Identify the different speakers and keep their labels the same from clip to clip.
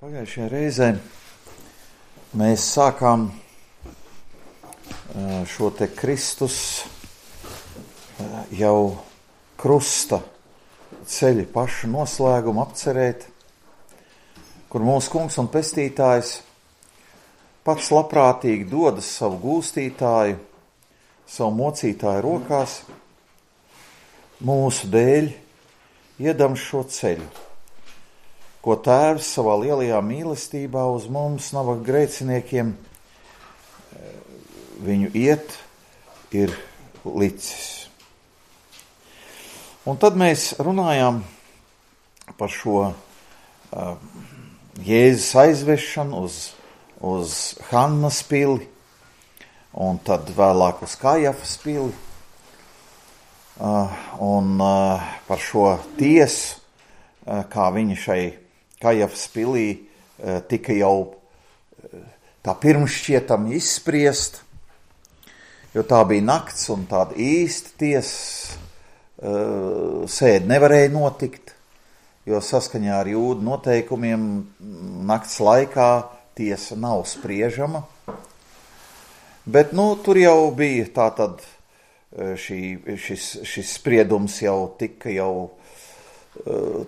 Speaker 1: Pagājušajā reizē mēs sākām šo te Kristus jau krusta ceļa pašu noslēgumu apcerēt, kur mūsu kungs un pestītājs pats labprātīgi dodas savu gūstītāju, savu mocītāju rokās, mūsu dēļ iedam šo ceļu, ko Tēvs savā lielajā mīlestībā uz mums, nabaga grēciniekiem, viņu iet ir licis. Un tad mēs runājām par šo Jēzus aizvešanu uz Hannas pili, un tad vēlāk uz Kajafas pili, un par šo tiesu, kā viņa šai Kajafas pilī tika jau tā pirmšķietami izspriest, jo tā bija nakts un tāda īsta tiesas sēde nevarēja notikt, jo saskaņā ar jūdu noteikumiem nakts laikā tiesa nav spriežama. Bet, tur jau bija tātad šis spriedums jau tika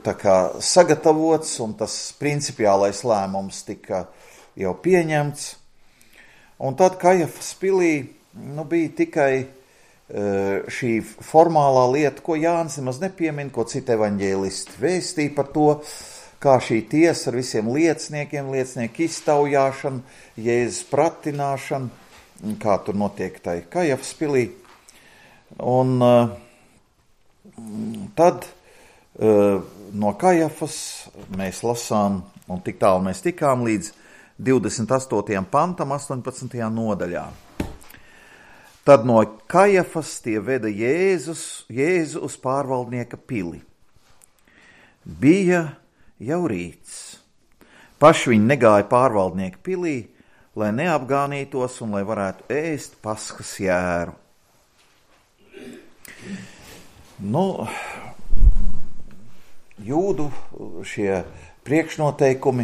Speaker 1: tā kā sagatavots, un tas principiālais lēmums tika jau pieņemts. Un tad Kajafas pilī bija tikai šī formālā lieta, ko Jānis nemaz nepiemin, ko citi evaņģēlisti vēstīja par to, kā šī tiesa ar visiem lieciniekiem, liecinieku iztaujāšanu, Jēzus pratināšanu, kā tur notiek tai Kajafas pilī. Un tad no Kajafas mēs lasām, un tik tālu mēs tikām līdz 28. pantam, 18. nodaļā. Tad no Kajafas tie veda Jēzu uz pārvaldnieka pili. Bija jau rīts. Paši viņi negāja pārvaldnieka pilī, lai neapgānītos un lai varētu ēst Paskas jēru. Jūdu šie priekšnoteikumi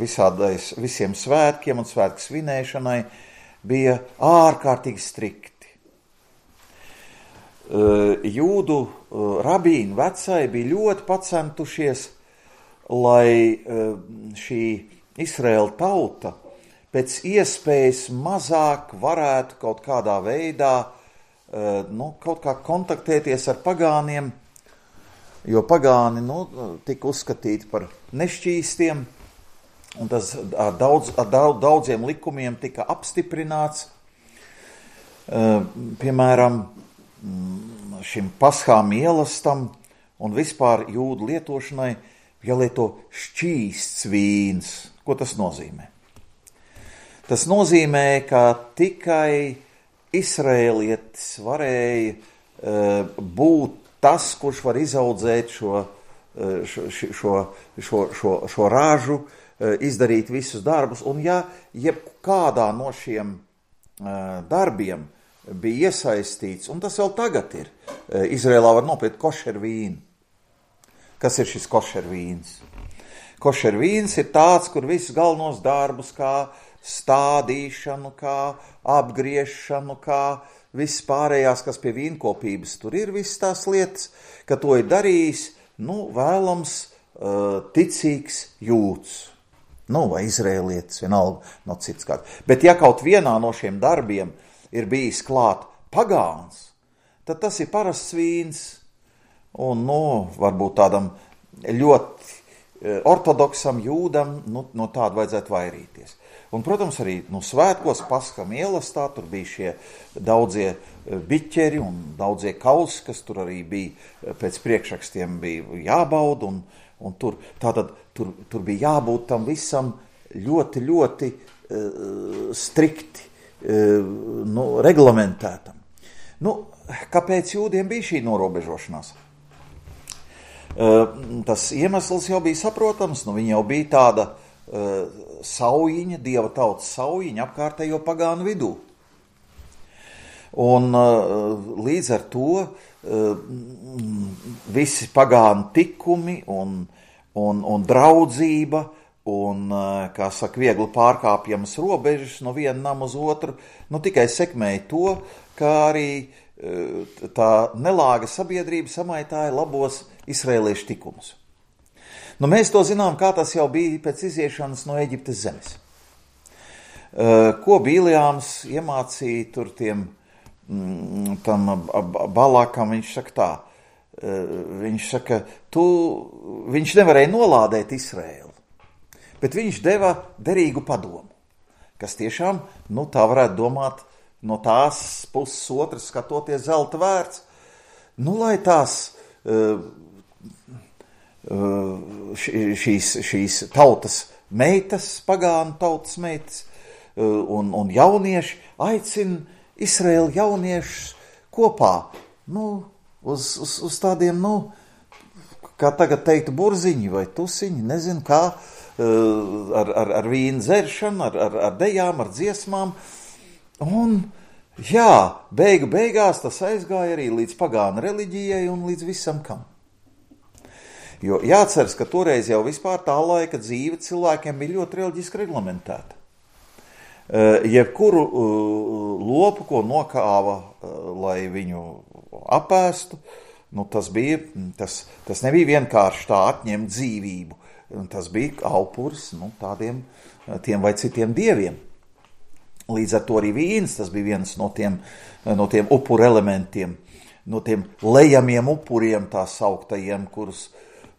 Speaker 1: visiem svētkiem un svētku svinēšanai bija ārkārtīgi strikti. Jūdu rabīni vecai bija ļoti pacentušies, lai šī Izraēla tauta pēc iespējas mazāk varētu kaut kādā veidā kaut kā kontaktēties ar pagāniem, jo pagāni tika uzskatīti par nešķīstiem, un tas ar daudziem likumiem tika apstiprināts. Piemēram, šim paschām ielastam un vispār jūdu lietošanai jālieto šķīsts vīns. Ko tas nozīmē? Tas nozīmē, ka tikai Izraēlietis varēja būt tas, kurš var izaudzēt šo ražu, izdarīt visus darbus, un ja jebkādā no šiem darbiem bija iesaistīts, un tas vēl tagad ir, Izrēlā var nopirkt košeru vīnu. Kas ir šis košeru vīns? Košeru vīns ir tāds, kur visus galvenos darbus, kā stādīšanu, kā apgriešanu, kā viss pārējās, kas pie vīnkopības tur ir, visas tās lietas, ka to ir darījis, vēlams ticīgs jūds, vai izrēlietis, vienalga no cits kāds. Bet ja kaut vienā no šiem darbiem ir bijis klāt pagāns, tad tas ir parasts vīns, un varbūt tādam ļoti ortodoksam jūdam, no tāda vajadzētu vairīties. Un, protams, arī svētkos Paskam ielastā tur bija šie daudzie biķeri un daudzie kausi, kas tur arī bija pēc priekšrakstiem bija jābauda, un tur bija jābūt tam visam ļoti, ļoti strikti reglamentētam. Kāpēc jūdiem bija šī norobežošanās? Tas iemesls jau bija saprotams, viņi jau bija tāda saujiņa, dieva tautas saujiņa apkārtējo pagānu vidū. Un līdz ar to visi pagānu tikumi un draudzība un, kā saka, viegli pārkāpjamas robežas no viena nama uz otru, tikai sekmēja to, kā arī tā nelāga sabiedrība samaitāja labos izraēliešu tikumus. Mēs to zinām, kā tas jau bija pēc iziešanas no Eģiptes zemes. Ko Bīlijāms iemācīja tur tam Balakam, viņš saka tā, viņš saka, viņš nevarēja nolādēt Izraēlu, bet viņš deva derīgu padomu, kas tiešām, tā varētu domāt, no tās puses otras skatoties zelta vērts, lai tās šīs tautas meitas, pagānu tautas meitas un jaunieši aicina Izraēlu jauniešus kopā, uz tādiem, kā tagad teiktu, burziņi vai tusiņi, nezinu kā, ar vīnu dzeršanu, ar dejām, ar dziesmām. Un, beigās tas aizgāja arī līdz pagānu reliģijai un līdz visam kam. Jo jāatceras, ka toreiz jau vispār tā laika dzīve cilvēkiem bija ļoti reliģiski reglamentēta. Jebkuru lopu, ko nokāva, lai viņu apēstu, tas nebija vienkārši tā atņemt dzīvību. Tas bija aupuris tiem vai citiem dieviem. Līdz ar to arī vīns, tas bija viens no tiem upuru elementiem, no tiem lejamiem upuriem tā sauktajiem, kurus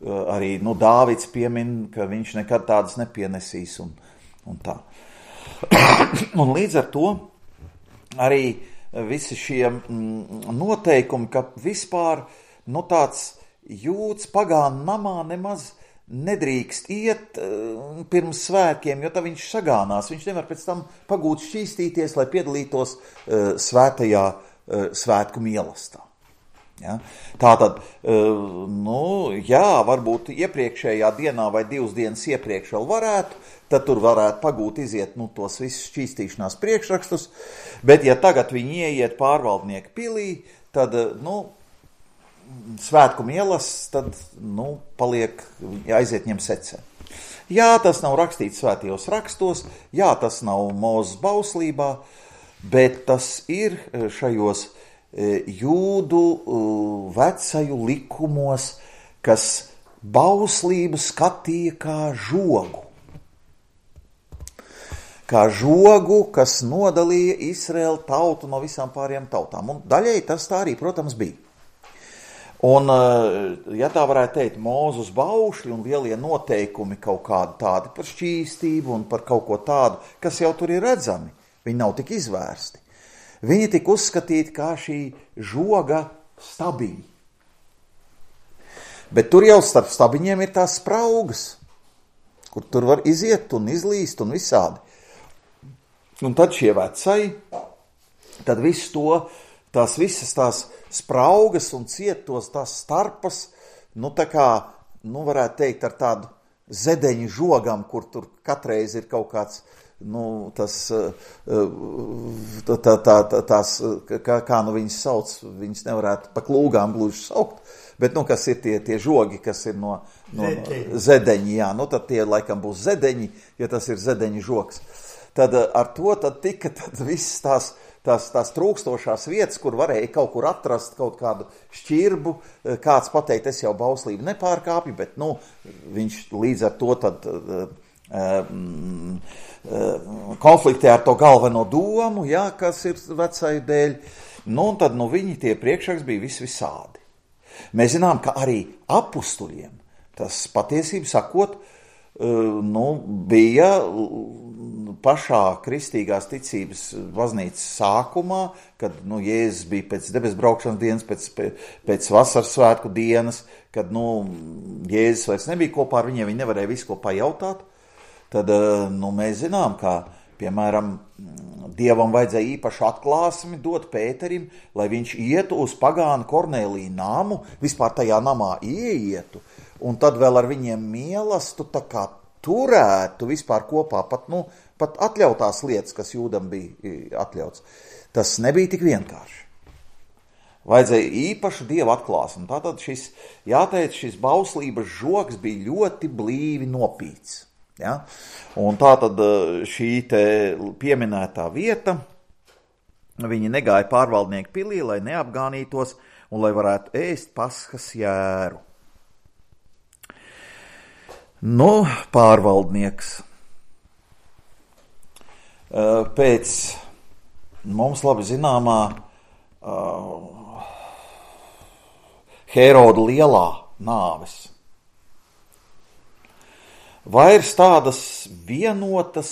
Speaker 1: arī Dāvids piemin, ka viņš nekad tādas nepienesīs un tā. Un līdz ar to arī visi šie noteikumi, ka vispār tāds jūds pagānu namā nemaz nedrīkst iet pirms svētkiem, jo tā viņš sagānās. Viņš nevar pēc tam pagūt šķīstīties, lai piedalītos svētajā svētku mīlestībā. Ja? Tātad, varbūt iepriekšējā dienā vai 2 dienas iepriekš vēl varētu, tad tur varētu pagūt iziet tos visus šķīstīšanās priekšrakstus, bet ja tagad viņi ieiet pārvaldnieku pilī, tad, svētku mīlestības, tad, paliek, aiziet ņem secē. Jā, tas nav rakstīts svētajos rakstos, jā, tas nav Mūzes bauslībā, bet tas ir šajos jūdu vecaju likumos, kas bauslību skatīja kā žogu. Kā žogu, kas nodalīja Izraēlu tautu no visām pārējām tautām. Un daļai tas tā arī, protams, bija. Un, ja tā varētu teikt, Mūzes baušļi un lielie noteikumi kaut kādi tādi par šķīstību un par kaut ko tādu, kas jau tur ir redzami, viņi nav tik izvērsti. Viņi tika uzskatīti kā šī žoga stabiņi. Bet tur jau starp stabiņiem ir tās spraugas, kur tur var iziet un izlīst un visādi. Un tad šie vecai, tad visu to, tās visas tās spraugas un cietos tās starpas, varētu teikt ar tādu zedeņu žogam, kur tur katreiz ir kaut kāds, kā viņas sauc, viņas nevarētu pa klūgām gluži saukt, bet, kas ir tie žogi, kas ir no zedeņi, jā, tad tie laikam būs zedeņi, ja tas ir zedeņu žogs. Tad ar to tika visas tās trūkstošās vietas, kur varēja kaut kur atrast kaut kādu šķirbu, kāds pateikt, es jau bauslību nepārkāpju, bet, viņš līdz ar to tad konfliktē ar to galveno domu, jā, kas ir vecai dēļ, un tad, viņi tie priekšraks bija visādi. Mēs zinām, ka arī apustuļiem tas patiesību sakot, bija pašā kristīgās ticības baznīcas sākumā, kad, Jēzus bija pēc debes braukšanas dienas, pēc vasaras svētku dienas, kad, Jēzus vairs nebija kopā ar viņiem, viņi nevarēja visu ko pajautāt, tad, mēs zinām, ka, piemēram, Dievam vajadzēja īpašu atklāsmi dot Pēterim, lai viņš ietu uz pagānu Kornēliju namu, vispār tajā namā ieietu, un tad vēl ar viņiem mīlestību tā kā turētu vispār kopā pat atļautās lietas, kas jūdam bija atļauts. Tas nebija tik vienkārši. Vajadzēja īpašu Dieva atklāsmi. Tātad šis bauslības žogs bija ļoti blīvi nopīts. Ja? Un tā tad šī te pieminētā vieta, viņi negāja pārvaldnieku pilī, lai neapgānītos un lai varētu ēst Paskas jēru. Nu, pārvaldnieks. Pēc mums labi zināmā Hēroda lielā nāves vairs tādas vienotas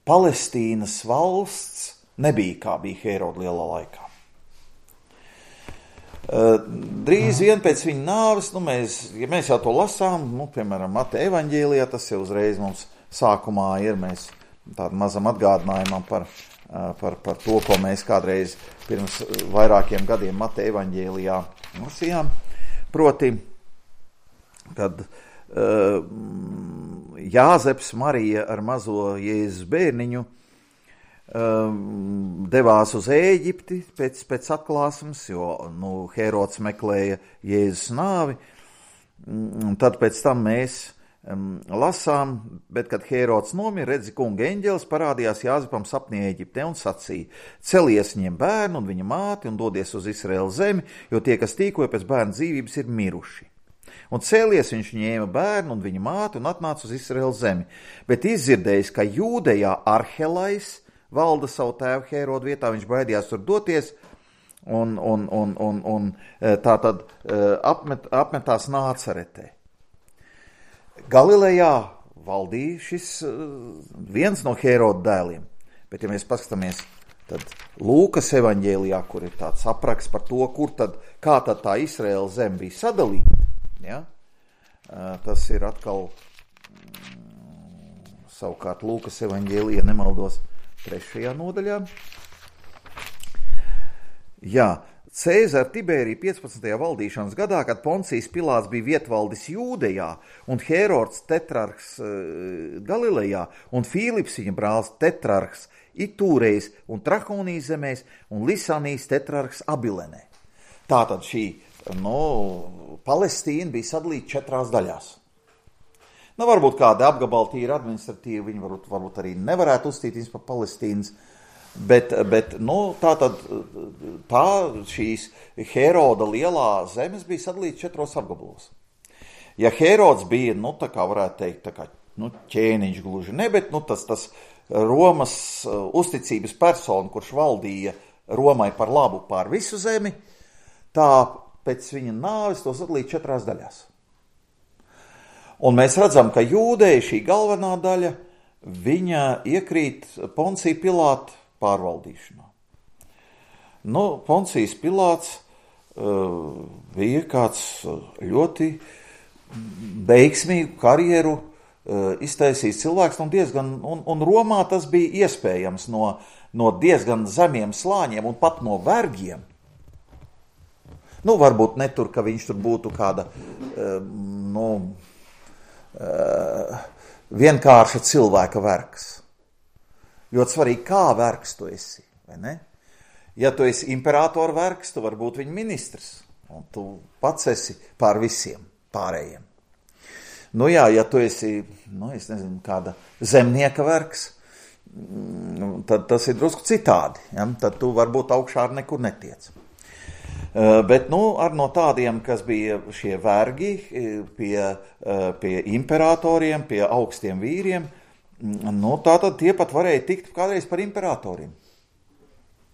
Speaker 1: Palestīnas valsts nebija, kā bija Hēroda lielā laikā. Drīz vien pēc viņa nāves, ja mēs jau to lasām, piemēram, Mateja evaņģēlijā, tas jau uzreiz mums sākumā ir, mēs tādu mazam atgādinājumam par to, ko mēs kādreiz pirms vairākiem gadiem Mateja evaņģēlijā lasījām, proti, kad Jāzeps Marija ar mazo Jēzus bērniņu devās uz Ēģipti pēc atklāsmes, jo Hērods meklēja Jēzus nāvi, un tad pēc tam mēs lasām, bet kad Hērods nomira, redzi, kunga eņģelis parādījās Jāzepam sapnī Ēģiptē un sacīja: celies, ņem bērnu un viņa māti un dodies uz Izraēlas zemi, jo tie, kas tīkoja pēc bērna dzīvības, ir miruši. Un cēlies, viņš ņēma bērnu un viņa māti un atnāca uz Izraēlas zemi, bet izdzirdējis, ka Jūdejā Arhelais valda savu tēvu Hērodu vietā, viņš baidījās tur doties un tā tad apmetās Nācaretē. Galilejā valdīja šis viens no Hēroda dēliem, bet ja mēs paskatāmies, tad Lūkas evaņģēlijā, kur ir tāds apraksts par to, kā tad tā Izraēlas zeme bija sadalīta, ja? Tas ir atkal savukārt Lūkas evaņģēlijā, nemaldos, 3. nodaļā. Jā, Cēzara Tibērija 15. valdīšanas gadā, kad Poncijs Pilāts bija vietvaldis Jūdejā un Hērods tetrarhs Galilejā un Fīlips viņa brālis tetrarhs Itūrejs un Trahonijas zemēs un Lisanijas tetrarhs Abilenē. Tātad šī Palestīna bija sadalīta 4 daļās. Varbūt kāda apgabala tīra administratīva, viņi varbūt arī nevarētu uzstīties par Palestīnas, bet tā šīs Hēroda lielā zemes bija sadalīta 4 apgabalos. Ja Hērods bija, tā kā varētu teikt, ķēniņš gluži ne, bet tas Romas uzticības persona, kurš valdīja Romai par labu pār visu zemi, tā pēc viņa nāves to sadalīja 4 daļās. Un mēs redzam, ka Jūdeja, šī galvenā daļa, viņa iekrīt Poncija Pilāta pārvaldīšanā. Poncijas Pilāts bija kāds ļoti veiksmīgu karjeru iztaisījis cilvēks, un Romā tas bija iespējams no diezgan zemiem slāņiem un pat no vergiem. Varbūt ne tur, ka viņš tur būtu kāda vienkārša cilvēka vergs. Ļoti svarīgi, kā vergs tu esi, vai ne? Ja tu esi imperatora vergs, tu vari būt viņa ministrs, un tu pats esi pār visiem pārējiem. Ja tu esi, es nezinu, kāda zemnieka vergs, tad tas ir drusku citādi, ja? Tad tu varbūt augšā ar nekur netiec. Bet ar no tādiem, kas bija šie vergi pie imperatoriem, pie augstiem vīriem, tātad tie pat varēja tikt kādreiz par imperatoriem.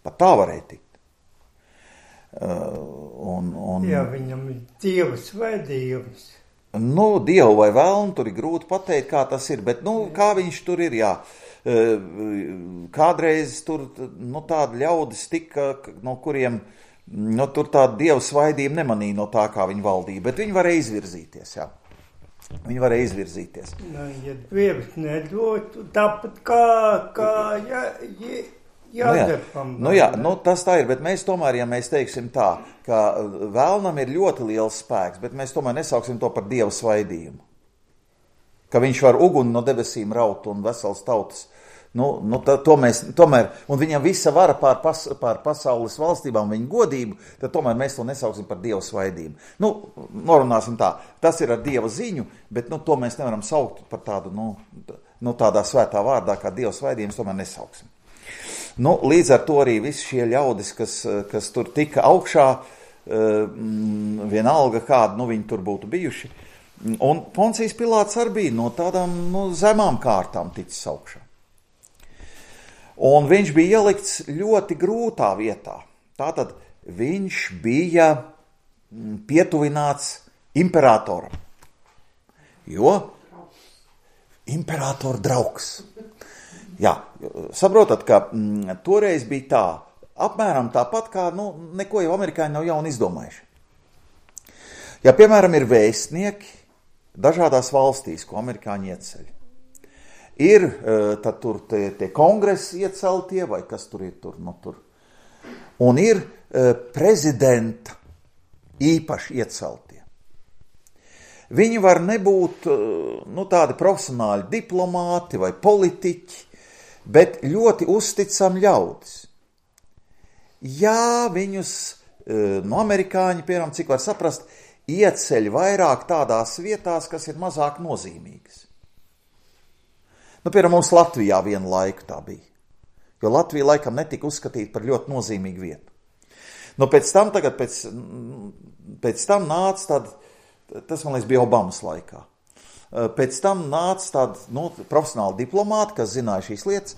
Speaker 1: Pat tā varēja tikt.
Speaker 2: Jā, viņam ir dievs vai dievs.
Speaker 1: Dievu vai velnu, tur ir grūti pateikt, kā tas ir, bet kā viņš tur ir, jā. Kādreiz tur tādi ļaudis tika, no kuriem tur tāda dieva svaidība nemanīja no tā, kā viņi valdīja, bet viņi varēja izvirzīties, jā. Viņi varēja izvirzīties.
Speaker 2: Ja dievs nedod, tāpat kā Jāzepam.
Speaker 1: Tas tā ir, bet mēs tomēr, ja mēs teiksim tā, ka vēlnam ir ļoti liels spēks, bet mēs tomēr nesauksim to par dieva svaidījumu. Ka viņš var uguni no debesīm raut un vesels tautas tomēr, un viņam visa vara pār pasaules valstībām, viņa godību, tad tomēr mēs to nesauksim par Dieva svaidību. Norunāsim tā, tas ir ar Dieva ziņu, bet to mēs nevaram saukt par tādu, tādā svētā vārdā, kā Dieva svaidību, mēs tomēr nesauksim. Līdz ar to arī visi šie ļaudis, kas tur tika augšā, vienalga kādu, viņi tur būtu bijuši, un Poncijs Pilāts arī bija no tādām zemām kārtām ticis augšā. Un viņš bija ielikts ļoti grūtā vietā. Tātad viņš bija pietuvināts imperatoram. Jo imperatora draugs. Jā, saprotat, ka toreiz bija tā, apmēram tāpat kā, neko jau amerikāņi nav jauni izdomājuši. Ja, piemēram, ir vēstnieki dažādās valstīs, ko amerikāņi ieceļ, ir tad tur tie kongresi ieceltie, vai kas tur ir tur. Un ir prezidenta īpaši ieceltie. Viņi var nebūt tādi profesionāli diplomāti vai politiķi, bet ļoti uzticami ļaudis. Jā, viņus amerikāņi, piemēram, cik var saprast, ieceļ vairāk tādās vietās, kas ir mazāk nozīmīgas. Piemēram, mums Latvijā vienu laiku tā bija, jo Latvija laikam netika uzskatīta par ļoti nozīmīgu vietu. Pēc tam nāca tas man liekas bija Obamas laikā. Pēc tam nāca tādi profesionāli diplomāti, kas zināja šīs lietas,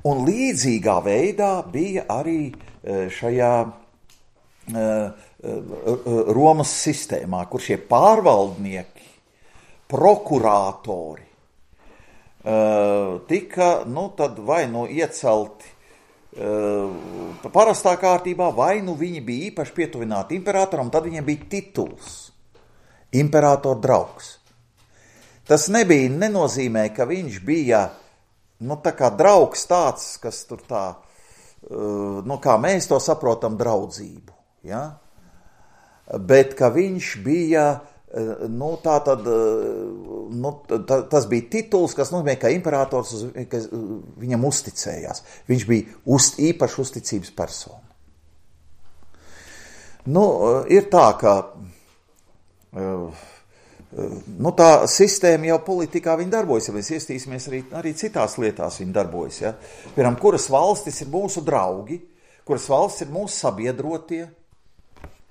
Speaker 1: un līdzīgā veidā bija arī šajā Romas sistēmā, kur šie pārvaldnieki, prokurātori tika tad vai iecelti parastā kārtībā, vai viņi bija īpaši pietuvināti imperatoram, tad viņiem bija tituls imperatora draugs. Tas nenozīmē, ka viņš bija tā kā draugs tāds, kas tur tā, kā mēs to saprotam, draudzību. Ja? Bet ka viņš bija, tas bija tituls, kas nozīmē, ka imperators viņam uzticējās. Viņš bija īpaši uzticības persona. Ir tā, ka tā sistēma jau politikā viņa darbojas, ja mēs iestīsimies arī citās lietās viņa darbojas. Ja? Piemēram, kuras valstis ir mūsu draugi, kuras valstis ir mūsu sabiedrotie,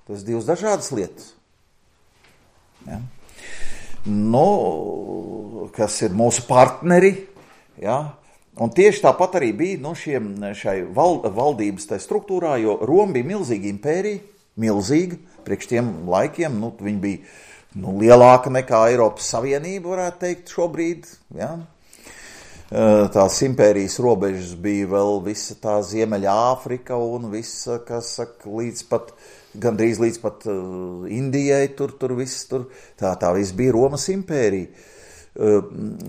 Speaker 1: tas divas dažādas lietas. Ja? Kas ir mūsu partneri, ja? Un tieši tāpat arī bija šai valdības struktūrā, jo Roma bija milzīga impērija, milzīga, priekš tiem laikiem, viņi bija lielāka nekā Eiropas Savienība, varētu teikt, šobrīd. Ja? Tās impērijas robežas bija vēl visa tā Ziemeļa Āfrika un visa, kas saka, gandrīz līdz pat Indijai, tur viss tur. Tā viss bija Romas impērija.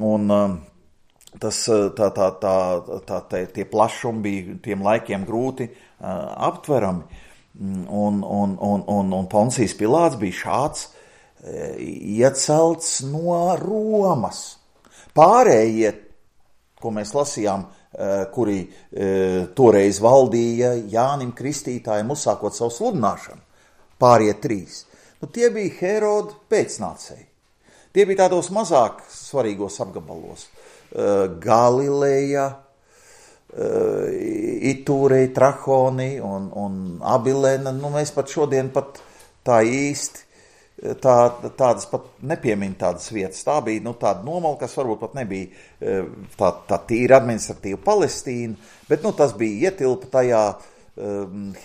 Speaker 1: Un tie plašumi bija tiem laikiem grūti aptverami. Un Poncijs Pilāts bija šāds iecelts no Romas. Pārējie, ko mēs lasījām, kuri toreiz valdīja Jānim Kristītājam uzsākot savu sludināšanu, pārējie 3. Tie bija Heroda pēcnācēji. Tie bija tādos mazāk svarīgos apgabalos. Galileja, Itūrei, Trahoni un Abilena. Mēs pat šodien tā īsti tādas pat nepiemin tādas vietas. Tā bija tāda nomala, kas varbūt pat nebija tā tīra administratīva Palestīna, bet tas bija ietilpa tajā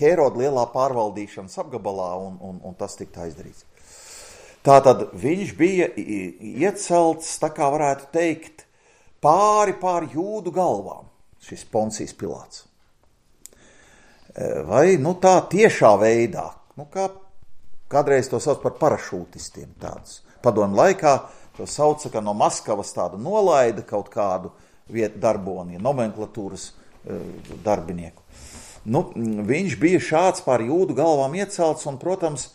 Speaker 1: Heroda lielā pārvaldīšanas apgabalā, un tas tika izdarīts. Tātad viņš bija iecelts, tā kā varētu teikt, pāri jūdu galvām, šis Poncijs Pilāts. Vai tā tiešā veidā, kā kādreiz to sauc par parašūtistiem tādus. Padomu laikā to sauca, ka no Maskavas tādu nolaida kaut kādu vietu darboni, nomenklatūras darbinieku. Viņš bija šāds pār jūdu galvām iecelts, un, protams,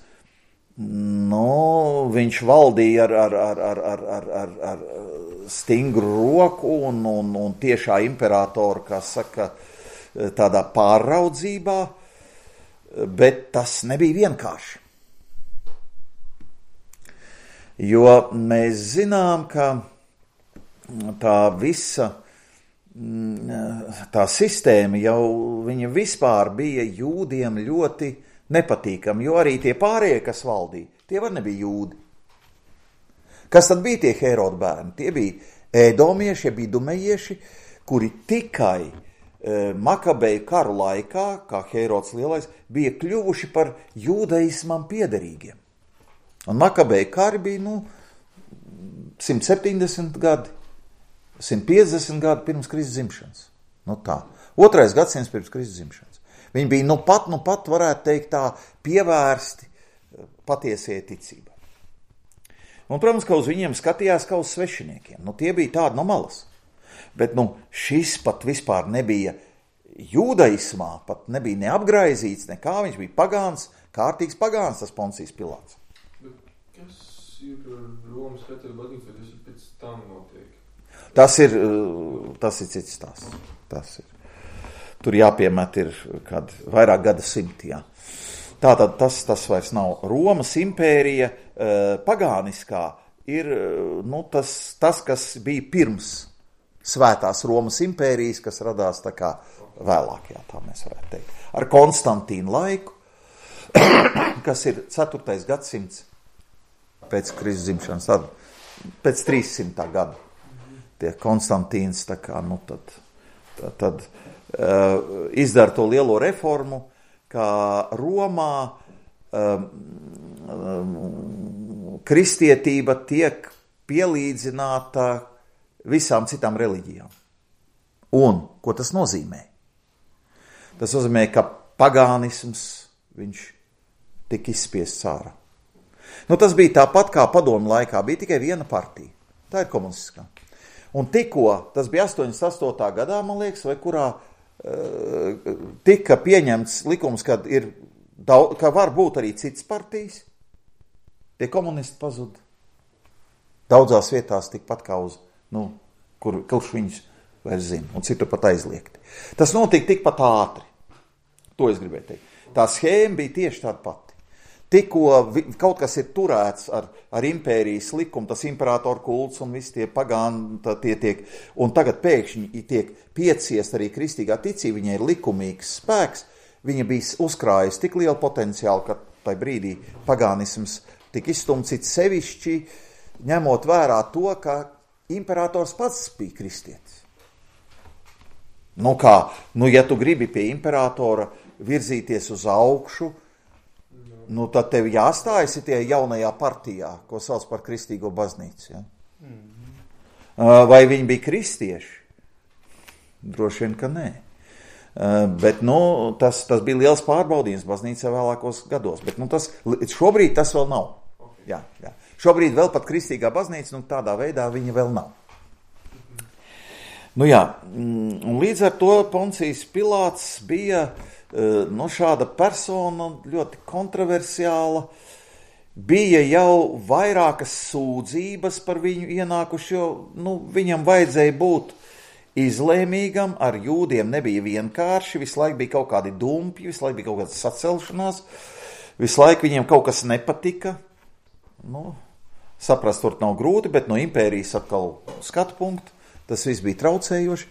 Speaker 1: viņš valdīja ar stingru roku un tiešā imperatora, kā saka, tādā pārraudzībā, bet tas nebija vienkārši. Jo mēs zinām, ka tā visa tā sistēma jau viņa vispār bija jūdiem ļoti nepatīkami, jo arī tie pārējie, kas valdīja, tie var nebija jūdi. Kas tad bija tie Heroda bērni? Tie bija ēdomieši, bija dumejieši, kuri tikai Makabeju karu laikā, kā Herods lielais, bija kļuvuši par jūdaismam piederīgiem. Un Makabeju kari bija, 170 gadi, 150 gadi pirms Kristus dzimšanas. Tā. 2. gadsimts pirms Kristus dzimšanas. Viņi bija nu pat varētu teikt tā pievērsti patiesajai ticībai. Un, protams, ka uz viņiem skatījās kā uz svešiniekiem. Tie bija tādi no malas. Bet šis pat vispār nebija jūdaismā, pat nebija neapgraizīts, nekā viņš bija pagāns, kārtīgs pagāns, tas Poncijs Pilāts.
Speaker 3: Bet kas ir Romas katoļu baznīca, tas ir pēc tam notiek?
Speaker 1: Tas ir cits stāsts. Tas ir. Tur jāpiemet ir vairāk gada simti, jā. Tātad tas vairs nav. Romas impērija pagāniskā ir tas, kas bija pirms svētās Romas impērijas, kas radās tā kā vēlāk, jā, tā mēs varētu teikt. Ar Konstantīnu laiku, kas ir 4. gadsimts pēc Kristus dzimšanas, tad pēc 300. gada. Tie Konstantīns tā kā, tad izdara to lielo reformu, kā Romā kristietība tiek pielīdzināta visām citām reliģijām. Un, ko tas nozīmē? Tas nozīmē, ka pagānisms, viņš tika izspiests ārā. Tas bija tāpat kā padomu laikā, bija tikai viena partija. Tā ir komunistiskā. Un tikko, tas bija 88. gadā, man liekas, vai kurā tika pieņemts likums, ka var būt arī citas partijas, tie komunisti pazuda. Daudzās vietās tikpat kā uz, kurš viņus vairs zina, un citur pat aizliegti. Tas notika tikpat ātri. To es gribēju teikt. Tā schēma bija tieši tāda pati. Tikko kaut kas ir turēts ar impērijas likumu, tas imperatoru kults un visi tie pagāni, tie tiek, un tagad pēkšņi tiek pieciest arī kristīgā ticība, viņai ir likumīgs spēks, viņa bija uzkrājusi tik lielu potenciālu, ka tai brīdī pagānisms tika izstumts sevišķi, ņemot vērā to, ka imperators pats bija kristietis. Ja tu gribi pie imperatora virzīties uz augšu, tad tev jāstājas tie jaunajā partijā, ko sauc par kristīgo baznīcu. Ja? Vai viņi bija kristieši? Droši vien, ka nē. Bet tas bija liels pārbaudījums baznīcā vēlākos gados. Bet šobrīd tas vēl nav. Jā. Šobrīd vēl pat kristīgā baznīca, tādā veidā viņa vēl nav. Un līdz ar to Poncijs Pilāts bija šāda persona ļoti kontroversiāla. Bija jau vairākas sūdzības par viņu ienākuši, jo viņam vajadzēja būt izlēmīgam, ar jūdiem nebija vienkārši, visu laiku bija kaut kādi dumpji, visu laiku bija kaut kāda sacelšanās, visu laiku viņiem kaut kas nepatika. Saprast tur nav grūti, bet no impērijas atkal skatu punktu, tas viss bija traucējoši.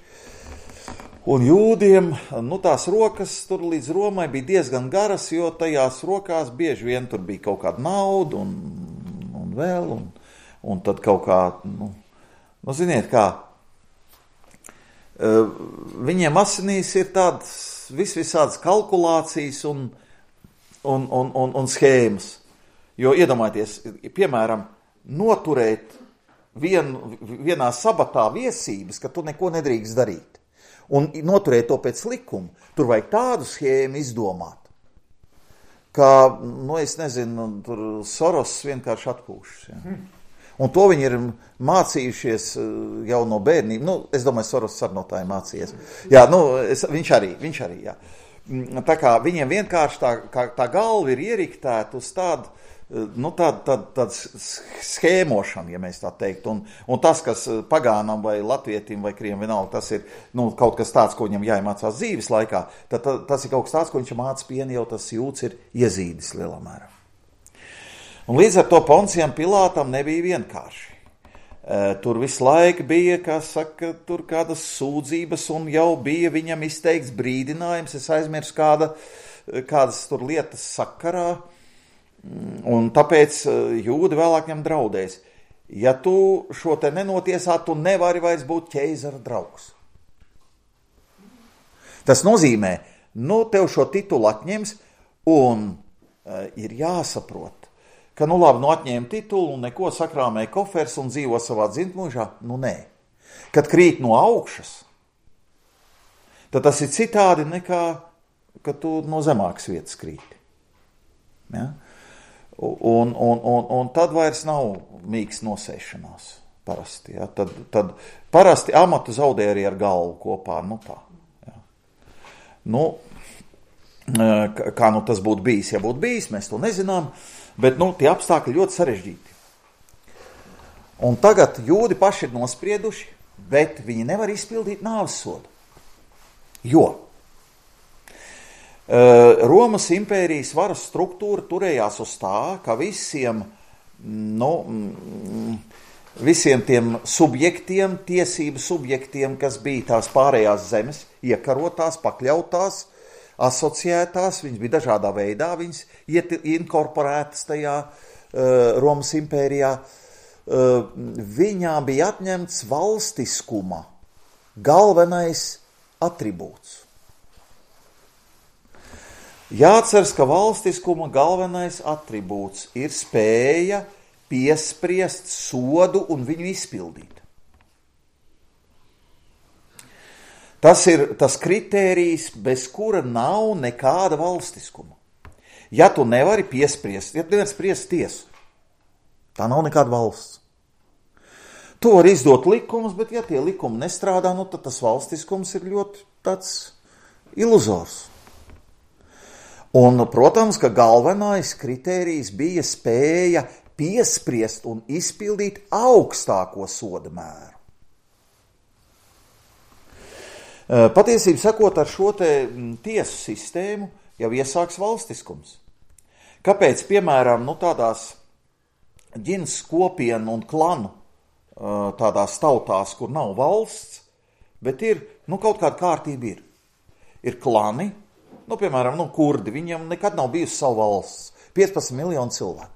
Speaker 1: Un jūdiem, tās rokas tur līdz Romai bija diezgan garas, jo tajās rokās bieži vien tur bija kaut kāda nauda un vēl, un tad kaut kā, ziniet kā, viņiem asinīs ir tādas visādas kalkulācijas un schēmas. Jo iedomājieties, piemēram, noturēt vienā sabatā viesības, ka tu neko nedrīkst darīt. Un noturēt to pēc likuma, tur vajag tādu schēmu izdomāt, ka, es nezinu, tur Soros vienkārši atpūšas. Ja? Un to viņi ir mācījušies jau no bērnība. Es domāju, Soros arī no tā ir mācījies. Jā, viņš arī, jā. Tā kā viņiem vienkārši tā galva ir ieriktēta uz tādu tāda schēmošana, ja mēs tā teikt. Un tas, kas pagānam vai latvietim vai kriem vienalga, tas ir kaut kas tāds, ko viņam jāiemācās dzīves laikā, tad tas ir kaut kas tāds, ko viņš māca pieni, jau tas jūts ir iezīdis lielā mērā. Un līdz ar to Poncijam Pilātam nebija vienkārši. Tur visu laiku bija, kā saka, tur kādas sūdzības un jau bija viņam izteikts brīdinājums, es aizmirsu kādas tur lietas sakarā, un tāpēc jūdi vēlāk viņam draudēs. Ja tu šo te nenotiesā, tu nevari vairs būt ķeizara draugs. Tas nozīmē, tev šo titulu atņems un ir jāsaprot, ka, labi, atņēma titulu un neko sakrāmēja kofers un dzīvo savā dzimtmūžā. Nē. Kad krīt no augšas, tad tas ir citādi nekā, kad tu no zemākas vietas krīti. Ja? Un tad vairs nav mīgs nosēšanās parasti. Ja? Tad parasti amatu zaudē arī ar galvu kopā. Tā. Ja? Kā tas būtu bijis, ja būtu bijis, mēs to nezinām. Bet, tie apstākļi ļoti sarežģīti. Un tagad jūdi paši ir nosprieduši, bet viņi nevar izpildīt nāves sodu. Jo Romas impērijas varas struktūra turējās uz tā, ka visiem tiem subjektiem, tiesību subjektiem, kas bija tās pārējās zemes, iekarotās, pakļautās, asociētās, viņas bija dažādā veidā, viņas inkorporētas tajā Romas impērijā, viņām bija atņemts valstiskuma galvenais atribūts. Jāatceras, ka valstiskuma galvenais atribūts ir spēja piespriest sodu un viņu izpildīt. Tas ir tas kritērijs, bez kura nav nekāda valstiskuma. Ja tu nevari piespriest, ja tu nevari spriest tiesu, tā nav nekāda valsts. Tu vari izdot likumus, bet ja tie likumi nestrādā, tad tas valstiskums ir ļoti tāds iluzors. Un, protams, ka galvenais kritērijs bija spēja piespriest un izpildīt augstāko soda mēru. Patiesībā sakot, ar šo tiesu sistēmu jau iesāks valstiskums. Kāpēc, piemēram, tādās ģimenes kopienu un klanu tādās tautās, kur nav valsts, bet ir, kaut kāda kārtība ir. Ir klani, piemēram, kurdi, viņiem nekad nav bijusi savu valsts, 15 miljonu cilvēku.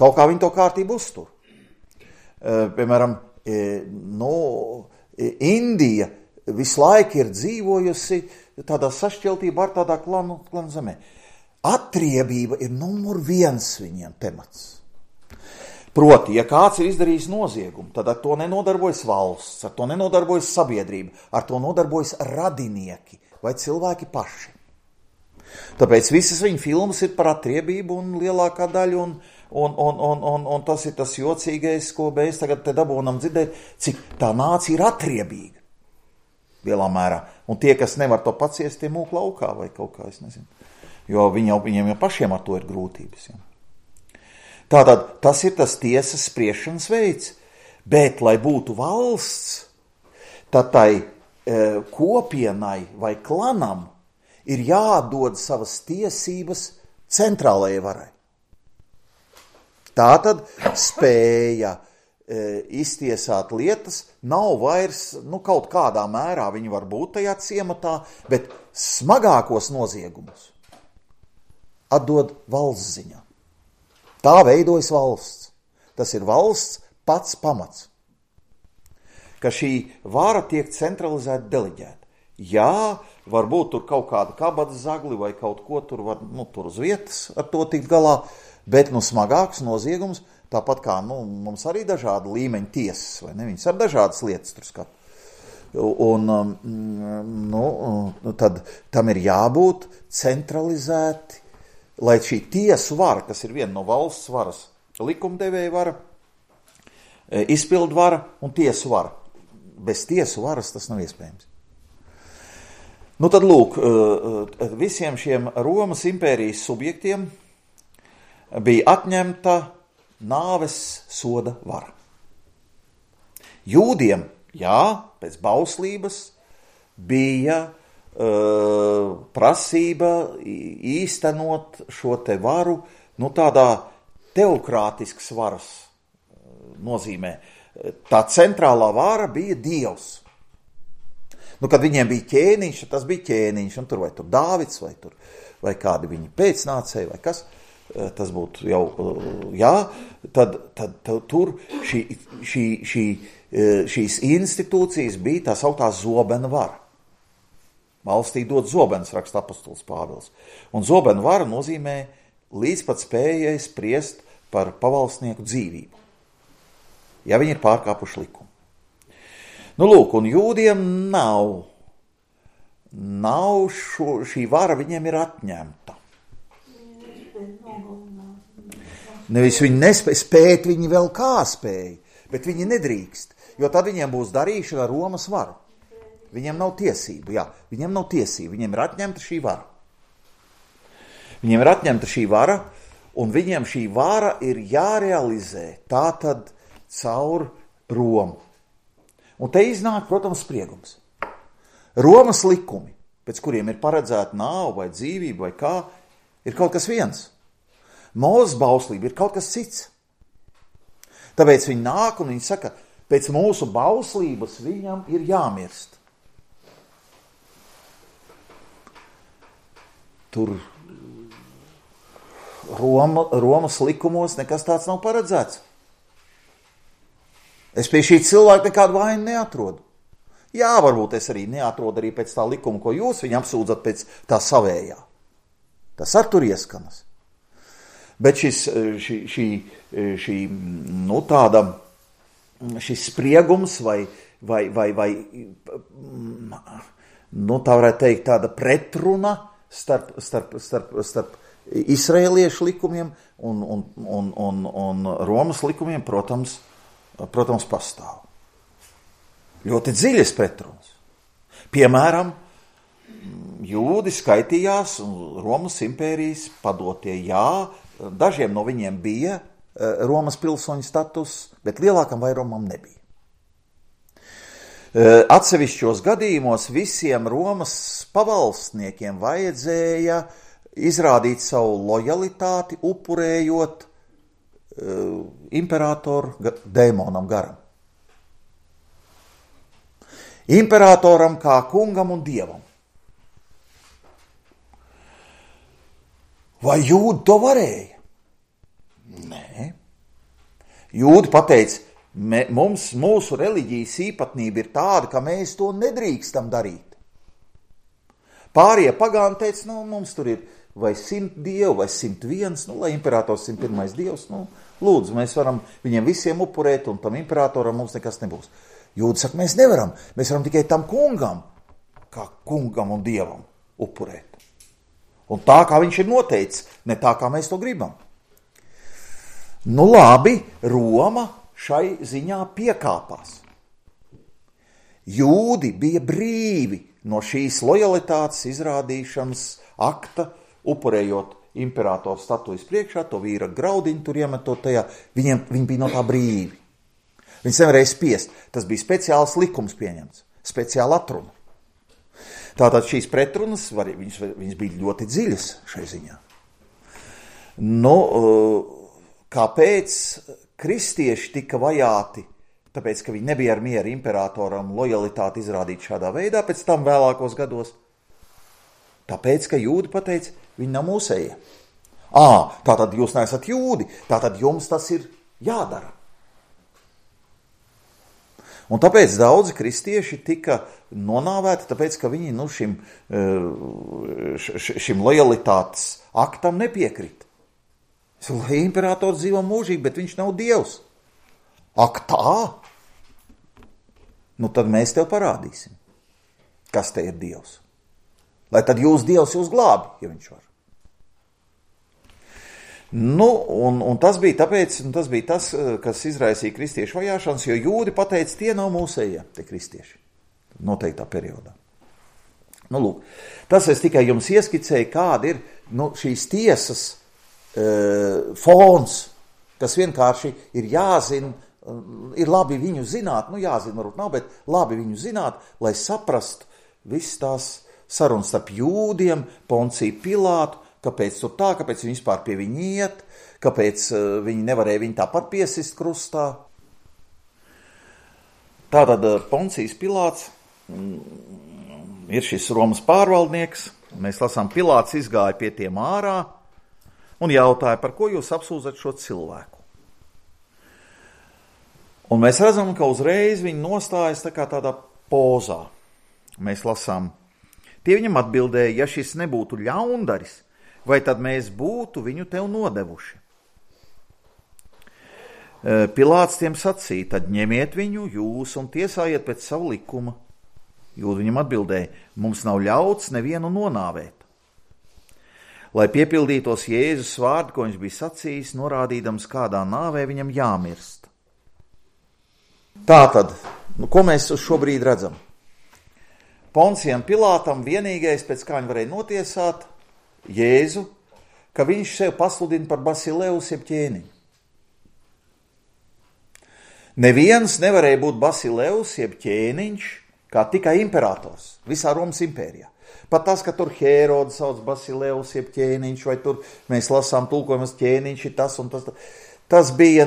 Speaker 1: Kaut kā viņi to kārtību uztur. Piemēram, Indija visu laiku ir dzīvojusi tādā sašķeltībā ar tādā klanu zemē. Atriebība ir numur 1 viņiem temats. Proti, ja kāds ir izdarījis noziegumu, tad ar to nenodarbojas valsts, ar to nenodarbojas sabiedrība, ar to nodarbojas radinieki vai cilvēki paši. Tāpēc visas viņa filmas ir par atriebību un lielākā daļa, un tas ir tas jocīgais, ko mēs tagad te dabūnam dzirdēt, cik tā nācija ir atriebīga. Lielā mērā. Un tie, kas nevar to paciest, tie mūk laukā vai kaut kā, es nezinu. Jo viņiem jau pašiem ar to ir grūtības. Ja. Tātad tas ir tas tiesas spriešanas veids. Bet, lai būtu valsts, tad tai kopienai vai klanam ir jādod savas tiesības centrālajai varai. Tātad spēja iztiesāt lietas nav vairs, kaut kādā mērā viņi var būt tajā ciematā, bet smagākos noziegumus atdod valsts ziņā. Tā veidojas valsts. Tas ir valsts pats pamats. Ka šī vara tiek centralizēta, deleģēta. Jā, varbūt tur kaut kāda kabatas zagli vai kaut ko tur var, tur uz vietas ar to tikt galā, bet smagāks noziegums, tāpat kā mums arī dažādi līmeņi tiesas, vai ne? Viņas ar dažādas lietas tur skata. Tad tam ir jābūt centralizēti, lai šī tiesu vara, kas ir viena no valsts varas, likumdevēja vara, izpildu vara un tiesu vara. Bez tiesu varas tas nav iespējams. Tad lūk, visiem šiem Romas impērijas subjektiem bija atņemta nāves soda vara. Jūdiem, jā, pēc bauslības bija prasība īstenot šo te varu, tādā teokrātiskas varas nozīmē. Tā centrālā vara bija Dievs. Kad viņiem bija ķēniņš, tas bija ķēniņš, un tur vai tur Dāvids, vai kādi viņi pēcnācēji, vai kas, tas būtu jau, jā, tad tur šīs institūcijas bija tā sauktā zobena vara. Valstī dod zobens, raksta apostols Pāvils. Un zobena vara nozīmē līdz pat spējai spriest par pavalsnieku dzīvību, ja viņi ir pārkāpuši likumu. Lūk, un jūdiem nav šī vara, viņiem ir atņemta. Nevis viņi nespēja spēt, viņi vēl kā spēja, bet viņi nedrīkst, jo tad viņiem būs darīšana ar Romas varu. Viņiem nav tiesību, viņiem ir atņemta šī vara. Viņiem ir atņemta šī vara, un viņiem šī vara ir jārealizē tātad caur Romu. Un te iznāk, protams, spriegums. Romas likumi, pēc kuriem ir paredzēta nāve vai dzīvība vai kā, ir kaut kas viens. Mūzes bauslība ir kaut kas cits. Tāpēc viņi nāk un viņi saka, pēc mūsu bauslības viņam ir jāmirst. Tur Romas likumos nekas tāds nav paredzēts. Es pie šī cilvēka nekādu vainu neatrodu. Jā, varbūt es arī neatrodu arī pēc tā likuma, ko jūs viņu apsūdzat pēc tā savējā. Tas ar tur ieskanas. Bet šis spriegums vai tā varētu teikt tāda pretruna starp izraēliešu likumiem un Romas likumiem, protams, pastāv. Ļoti dziļas pretrunas. Piemēram, jūdi skaitījās Romas impērijas padotie, jā, dažiem no viņiem bija Romas pilsoņu status, bet lielākam vairumam nebija. Atsevišķos gadījumos visiem Romas pavalstniekiem vajadzēja izrādīt savu lojalitāti, upurējot imperatoru dēmonam garam. Imperatoram kā kungam un dievam. Vai jūdi to varēja? Nē. Jūdi pateica, mūsu reliģijas īpatnība ir tāda, ka mēs to nedrīkstam darīt. Pārējie pagāni teica, mums tur ir vai 100 dievu, vai 101, lai imperators 101 dievs, lūdzu, mēs varam viņiem visiem upurēt, un tam imperatoram mums nekas nebūs. Jūdi saka, mēs nevaram, mēs varam tikai tam kungam, kā kungam un dievam upurēt. Un tā, kā viņš ir noteicis, ne tā, kā mēs to gribam. Labi, Roma šai ziņā piekāpās. Jūdi bija brīvi no šīs lojalitātes izrādīšanas akta, upurējot imperatoru statujas priekšā, to vīra graudiņu tur iemetot tajā, viņi bija no tā brīvi. Viņus nevarēja spiest, tas bija speciāls likums pieņemts, speciāla atruna. Tātad šīs pretrunas, viņas bija ļoti dziļas šai ziņā. Kāpēc kristieši tika vajāti? Tāpēc, ka viņi nebija ar mieru imperatoram lojalitāti izrādīt šādā veidā, pēc tam vēlākos gados. Tāpēc, ka jūdi pateica, viņi nav mūsējie. Tātad jūs neesat jūdi, tātad jums tas ir jādara. Un tāpēc daudzi kristieši tika nonāvēti, tāpēc, ka viņi šim lojalitātes aktam nepiekrita. Lai imperators dzīvo mūžīgi, bet viņš nav dievs. Ak tā? Tad mēs tev parādīsim, kas te ir dievs. Lai tad jūs dievs jūs glābi, ja viņš var. Un tas bija tāpēc, tas bija tas, kas izraisīja kristiešu vajāšanas, jo jūdi pateica, tie nav mūsējie, tie kristieši, noteiktā periodā. Lūk, tas es tikai jums ieskicēju, kāda ir šīs tiesas fons, kas vienkārši ir jāzina, ir labi viņu zināt, jāzina varbūt nav, bet labi viņu zināt, lai saprastu visas tās sarunas starp jūdiem, Ponciju Pilātu, kāpēc tur tā, kāpēc viņi vispār pie viņa iet, kāpēc viņi nevarēja viņu tāpat piesist krustā. Tātad Poncijs Pilāts ir šis Romas pārvaldnieks. Mēs lasām, Pilāts izgāja pie tiem ārā un jautāja, par ko jūs apsūdzat šo cilvēku. Un mēs redzam, ka uzreiz viņi nostājas tā kā tādā pozā. Mēs lasām, tie viņam atbildēja, ja šis nebūtu ļaundaris, vai tad mēs būtu viņu tev nodevuši? Pilāts tiem sacīja, tad ņemiet viņu jūs un tiesājiet pēc savu likuma. Jūdi viņam atbildēja, mums nav ļauts nevienu nonāvēt. Lai piepildītos Jēzus vārdi, ko viņš bija sacījis, norādīdams, kādā nāvē viņam jāmirst. Tātad, ko mēs uz šo brīdi redzam? Poncijam Pilātam vienīgais, pēc kā viņi varēja notiesāt Jēzu, ka viņš sev pasludina par Basileus jeb ķēniņu. Neviens nevarēja būt Basileus jeb ķēniņš, kā tikai imperators visā Romas impērijā. Pat tas, ka tur Hērodu sauc Basileus jeb ķēniņš, vai tur mēs lasām tulkojumus ķēniņš ir tas un tas. Tas bija,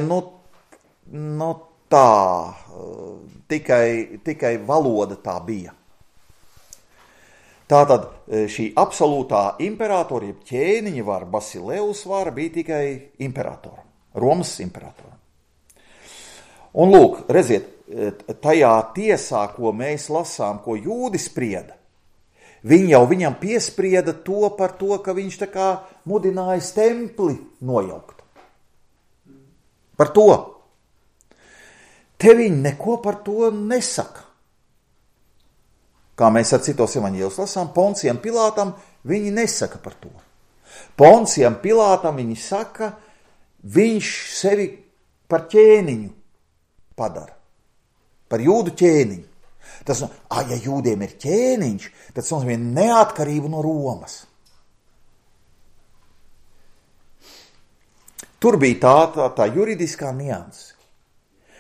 Speaker 1: tā, tikai valoda tā bija. Tātad šī absolūtā imperatora, jeb ķēniņa vara, Basileus vara bija tikai imperatoram, Romas imperatoram. Un lūk, redziet, tajā tiesā, ko mēs lasām, ko jūdi sprieda, viņi jau viņam piesprieda to par to, ka viņš tā kā mudinājis templi nojaukt. Par to. Te viņi neko par to nesaka. Kā mēs ar citos evaņģēlijos lasām, Poncijam Pilātam viņi nesaka par to. Poncijam Pilātam viņi saka, viņš sevi par ķēniņu padara. Par jūdu ķēniņu. Tas, ja jūdiem ir ķēniņš, tad tas nozīmē neatkarību no Romas. Tur bija tā juridiskā nianse,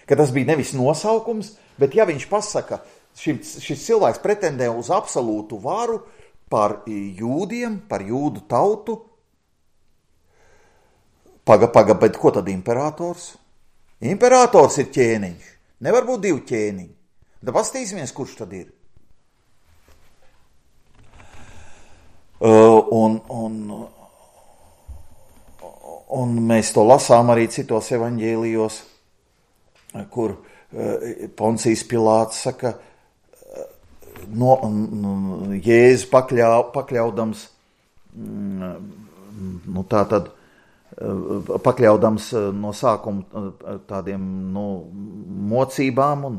Speaker 1: ka tas bija nevis nosaukums, bet ja viņš pasaka, šis cilvēks pretendē uz absolūtu varu par jūdiem, par jūdu tautu, bet ko tad imperators? Imperators ir ķēniņš, nevar būt divi ķēniņi. Tad pastīsimies, kurš tad ir. Un mēs to lasām arī citos evaņģēlijos, kur Poncijs Pilāts saka, Jēzu pakļaudams, pakļaudams no sākuma tādiem mocībām, un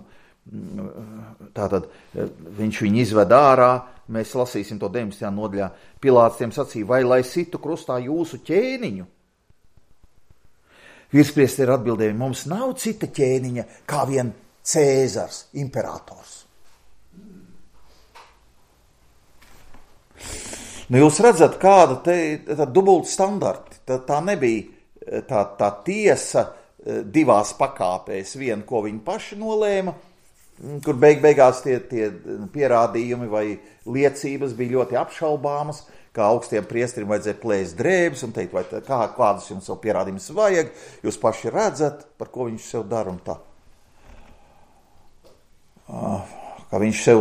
Speaker 1: tātad viņš viņu izved ārā, mēs lasīsim to 19. nodaļā. Pilāts tiem sacīja, vai lai situ krustā jūsu ķēniņu? Virspriesteri atbildēja, mums nav cita ķēniņa kā vien Cēzars, imperators. Jūs redzat, kāda te dubult standarti. Tā nebija tā tiesa divās pakāpēs. Viena, ko viņi paši nolēma, kur beigās tie pierādījumi vai liecības bija ļoti apšaubāmas, kā augstiem priesterim vajadzēja plēst drēbes un teikt, vai kādus jums vēl pierādījumus vajag, jūs paši redzat, par ko viņš sev dara un tā. Kā viņš sev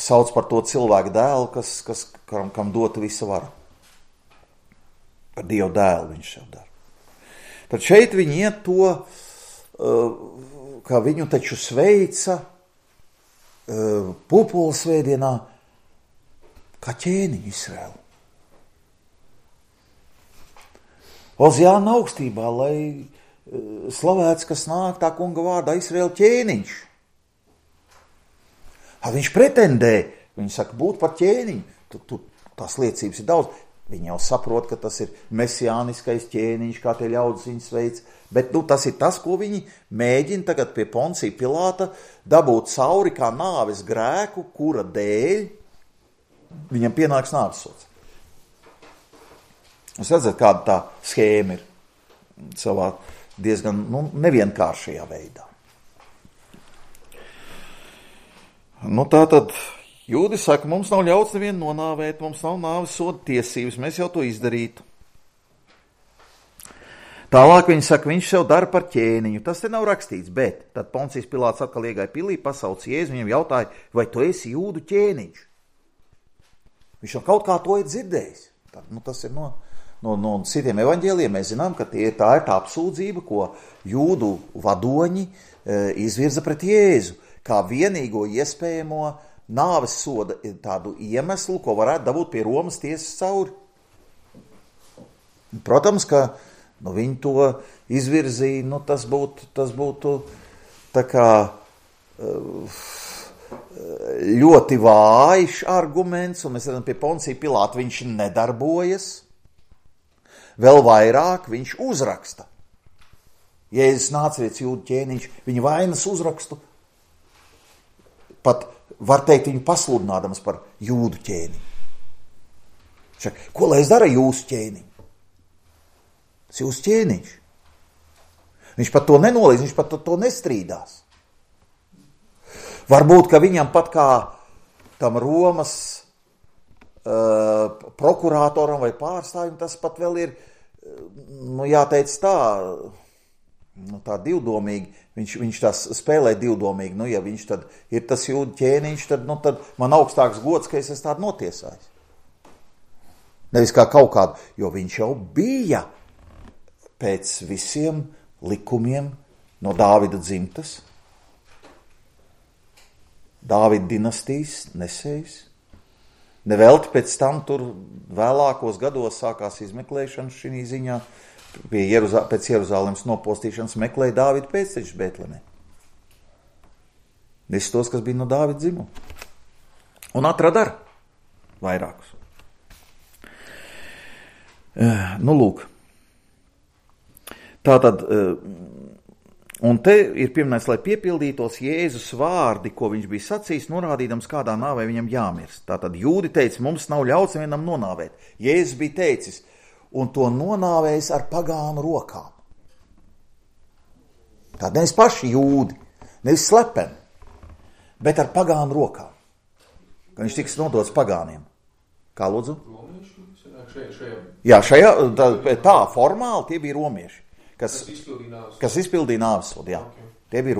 Speaker 1: sauc par to cilvēku dēlu, kam dotu visa vara. Par Dievu dēlu viņš sev dara. Tad šeit viņi iet to, ka viņu taču sveica Pupulu svētdienā kā ķēniņu Izraēlu. Oziāna augstībā, lai slavēts, kas nāk tā kunga vārdā Izraēla ķēniņš. Viņš pretendē, viņi saka, būt par ķēniņu. Tās liecības ir daudz. Viņi jau saprot, ka tas ir mesiāniskais ķēniņš, kā tie ļaudis viņus veic. Bet tas ir tas, ko viņi mēģina tagad pie Poncija Pilāta dabūt cauri kā nāves grēku, kura dēļ viņam pienāks nāves sods. Jūs redzat, kāda tā schēma ir savā diezgan nevienkāršajā veidā. Tā tad jūdi saka, mums nav ļauts nevienu nonāvēt, mums nav nāves soda tiesības, mēs jau to izdarītu. Tālāk viņi saka, viņš sev dara par ķēniņu. Tas te nav rakstīts, bet tad Poncijs Pilāts atkal iegāja pilī, pasauc Jēzu, viņam jautāja, vai tu esi jūdu ķēniņš? Viņš jau kaut kā to ir dzirdējis. Tas ir no citiem evaņģēliem. Mēs zinām, ka tā ir tā apsūdzība, ko jūdu vadoņi izvirza pret Jēzu, kā vienīgo iespējamo nāves soda tādu iemeslu, ko varētu dabūt pie Romas tiesas cauri. Protams, ka viņi to izvirzīja, tas būtu tā kā ļoti vājš arguments, un mēs redzam, pie Poncija Pilāta viņš nedarbojas. Vēl vairāk viņš uzraksta. Jēzus Nācerietis jūdu ķēniņš, viņa vainas uzrakstu, pat var teikt viņu pasludinādams par jūdu ķēniņu. Šak, ko lai es dara jūsu ķēniņu? Tas jūsu ķēniņš. Viņš pat to nenolīdz, viņš pat to nestrīdās. Varbūt, ka viņam pat kā tam Romas prokurātoram vai pārstāvjum tas pat vēl ir, jāteic tā divdomīgi, viņš tās spēlē divdomīgi, ja viņš tad ir tas jūdu ķēniņš, tad man augstāks gods, ka es esmu tādu notiesājis. Nevis kā kaut kādu, jo viņš jau bija pēc visiem likumiem no Dāvida dzimtas, Dāvida dinastijas nesējs. Nevelti pēc tam tur vēlākos gados sākās izmeklēšana šī ziņā, pēc Jeruzālemes nopostīšanas meklēja Dāvida pēctečus Betlemē. Visus tos, kas bija no Dāvida dzimuma. Un atrada ar vairākus. Lūk. Tātad, un te ir pieminēts, lai piepildītos Jēzus vārdi, ko viņš bija sacījis, norādīdams, kādā nāvē viņam jāmirst. Tātad jūdi teica, mums nav ļauts nevienam nonāvēt. Jēzus bija teicis, un to nonāvējis ar pagānu rokām. Tātad nevis paši jūdi, nevis slepeni, bet ar pagānu rokām. Ka viņš tiks nodots pagāniem. Kā lūdzu? Jā, tā formāli tie bija romieši. Kas izpildīja nāves sodu, jā. Okay. Tie bija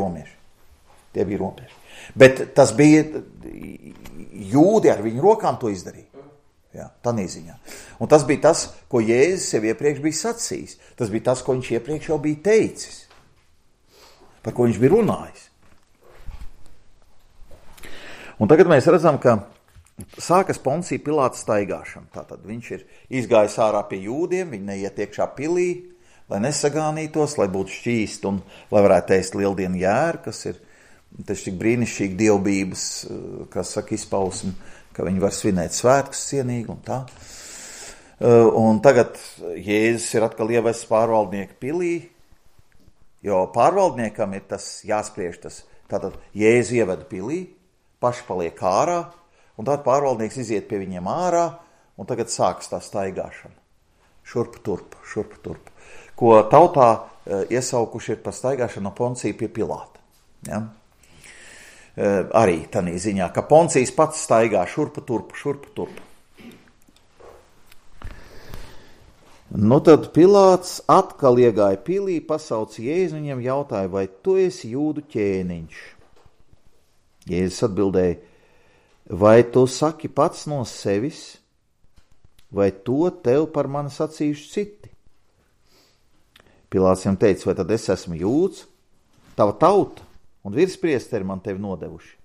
Speaker 1: romieši. Bet tas bija jūdi ar viņu rokām to izdarīja. Jā, tādā ziņā. Un tas bija tas, ko Jēzus sev iepriekš bija sacījis. Tas bija tas, ko viņš iepriekš jau bija teicis. Par ko viņš bija runājis. Un tagad mēs redzam, ka sākas Poncija Pilāta staigāšana. Tātad viņš ir izgājis ārā pie jūdiem, viņi neiet iekšā pilī, lai nesagānītos, lai būtu šķīst un lai varētu ēst lieldienu jēru, kas ir taču tik brīnišķīgi dievbības, kas saka izpausmi, ka viņi var svinēt svētkus cienīgi un tā. Un tagad Jēzus ir atkal ievests pārvaldnieku pilī, jo pārvaldniekam ir tas jāspriež tas. Tātad Jēzus ieveda pilī, paši paliek ārā, un tad pārvaldnieks iziet pie viņiem ārā, un tagad sākas tā staigāšana. Šurp turp. Ko tautā iesaukuši ir par staigāšanu no Poncija pie Pilāta. Ja? Arī tādā ziņā, ka Poncijs pats staigā šurpu turpu. Tad Pilāts atkal iegāja pilī, pasauc Jēzu, viņam jautāja, vai tu esi jūdu ķēniņš? Jēzus atbildēja, vai tu saki pats no sevis, vai to tev par mani sacījuši citi? Pilāts viņam teica, vai tad es esmu jūds, tava tauta un virspriesteri man tevi nodevuši.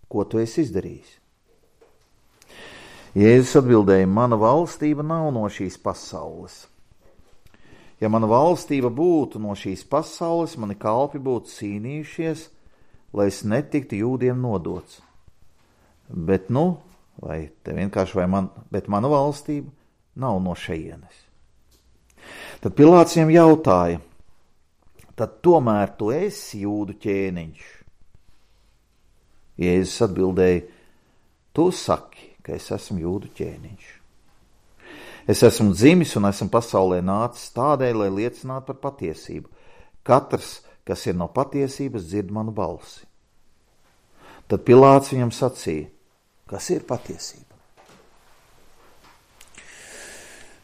Speaker 1: Ko tu esi izdarījis? Jēzus atbildēja, mana valstība nav no šīs pasaules. Ja mana valstība būtu no šīs pasaules, mani kalpi būtu cīnījušies, lai es netiktu jūdiem nodots. Bet bet mana valstība nav no šejienes. Tad Pilāts viņam jautāja, tad tomēr tu esi jūdu ķēniņš? Jēzus atbildēja, tu saki, ka es esmu jūdu ķēniņš. Es esmu dzimis un esmu pasaulē nācis tādēļ, lai liecinātu par patiesību. Katrs, kas ir no patiesības, dzird manu balsi. Tad Pilāts viņam sacīja, kas ir patiesība?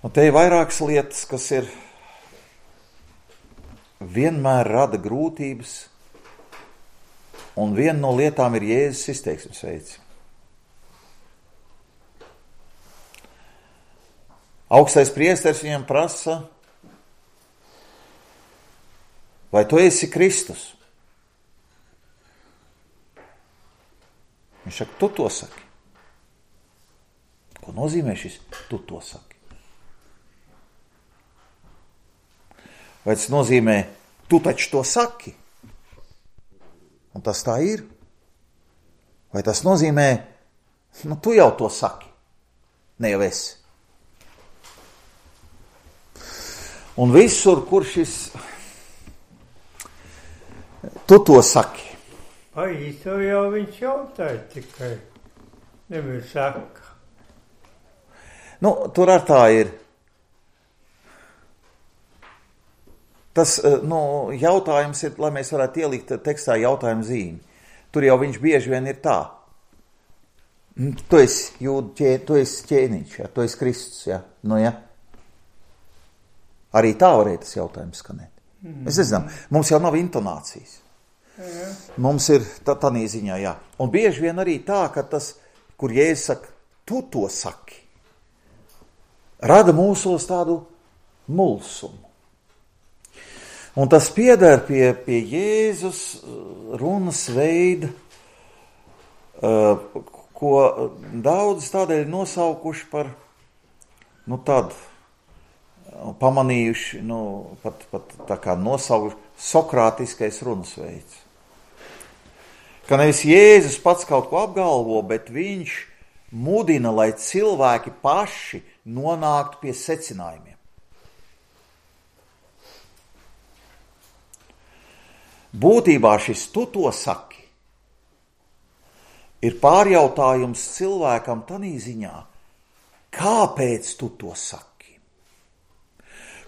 Speaker 1: Un te ir vairākas lietas, kas ir vienmēr rada grūtības, un viena no lietām ir Jēzus izteiksmes veids. Augstais priesteris viņam prasa, vai tu esi Kristus? Viņš saka, tu to saki. Ko nozīmē šis tu to saki? Vai tas nozīmē, tu taču to saki? Un tas tā ir? Vai tas nozīmē, tu jau to saki? Ne jau esi. Un visur, kur šis tu to saki.
Speaker 2: To jau viņš jautāja tikai. Nevis saka.
Speaker 1: Tur ar tā ir. Tas jautājums ir, lai mēs varētu ielikt tekstā jautājumu zīmi. Tur jau viņš bieži vien ir tā. Tu esi ķēniņš, ja? Tu esi Kristus, ja? Ja? Arī tā varēja tas jautājums skanēt. Es nezinu, mums jau nav intonācijas. Mums ir tādā ziņā, jā. Un bieži vien arī tā, ka tas, kur Jēzus saka, tu to saki, rada mūsos tādu mulsumu. Un tas pieder pie Jēzus runas veida, ko daudz tādēļ nosaukuši par, tādu, pamanījuši, pat tā kā nosaukuši sokrātiskais runas veids. Ka nevis Jēzus pats kaut ko apgalvo, bet viņš mudina, lai cilvēki paši nonāktu pie secinājumiem. Būtībā šis tu to saki ir pārjautājums cilvēkam tanī ziņā, kāpēc tu to saki?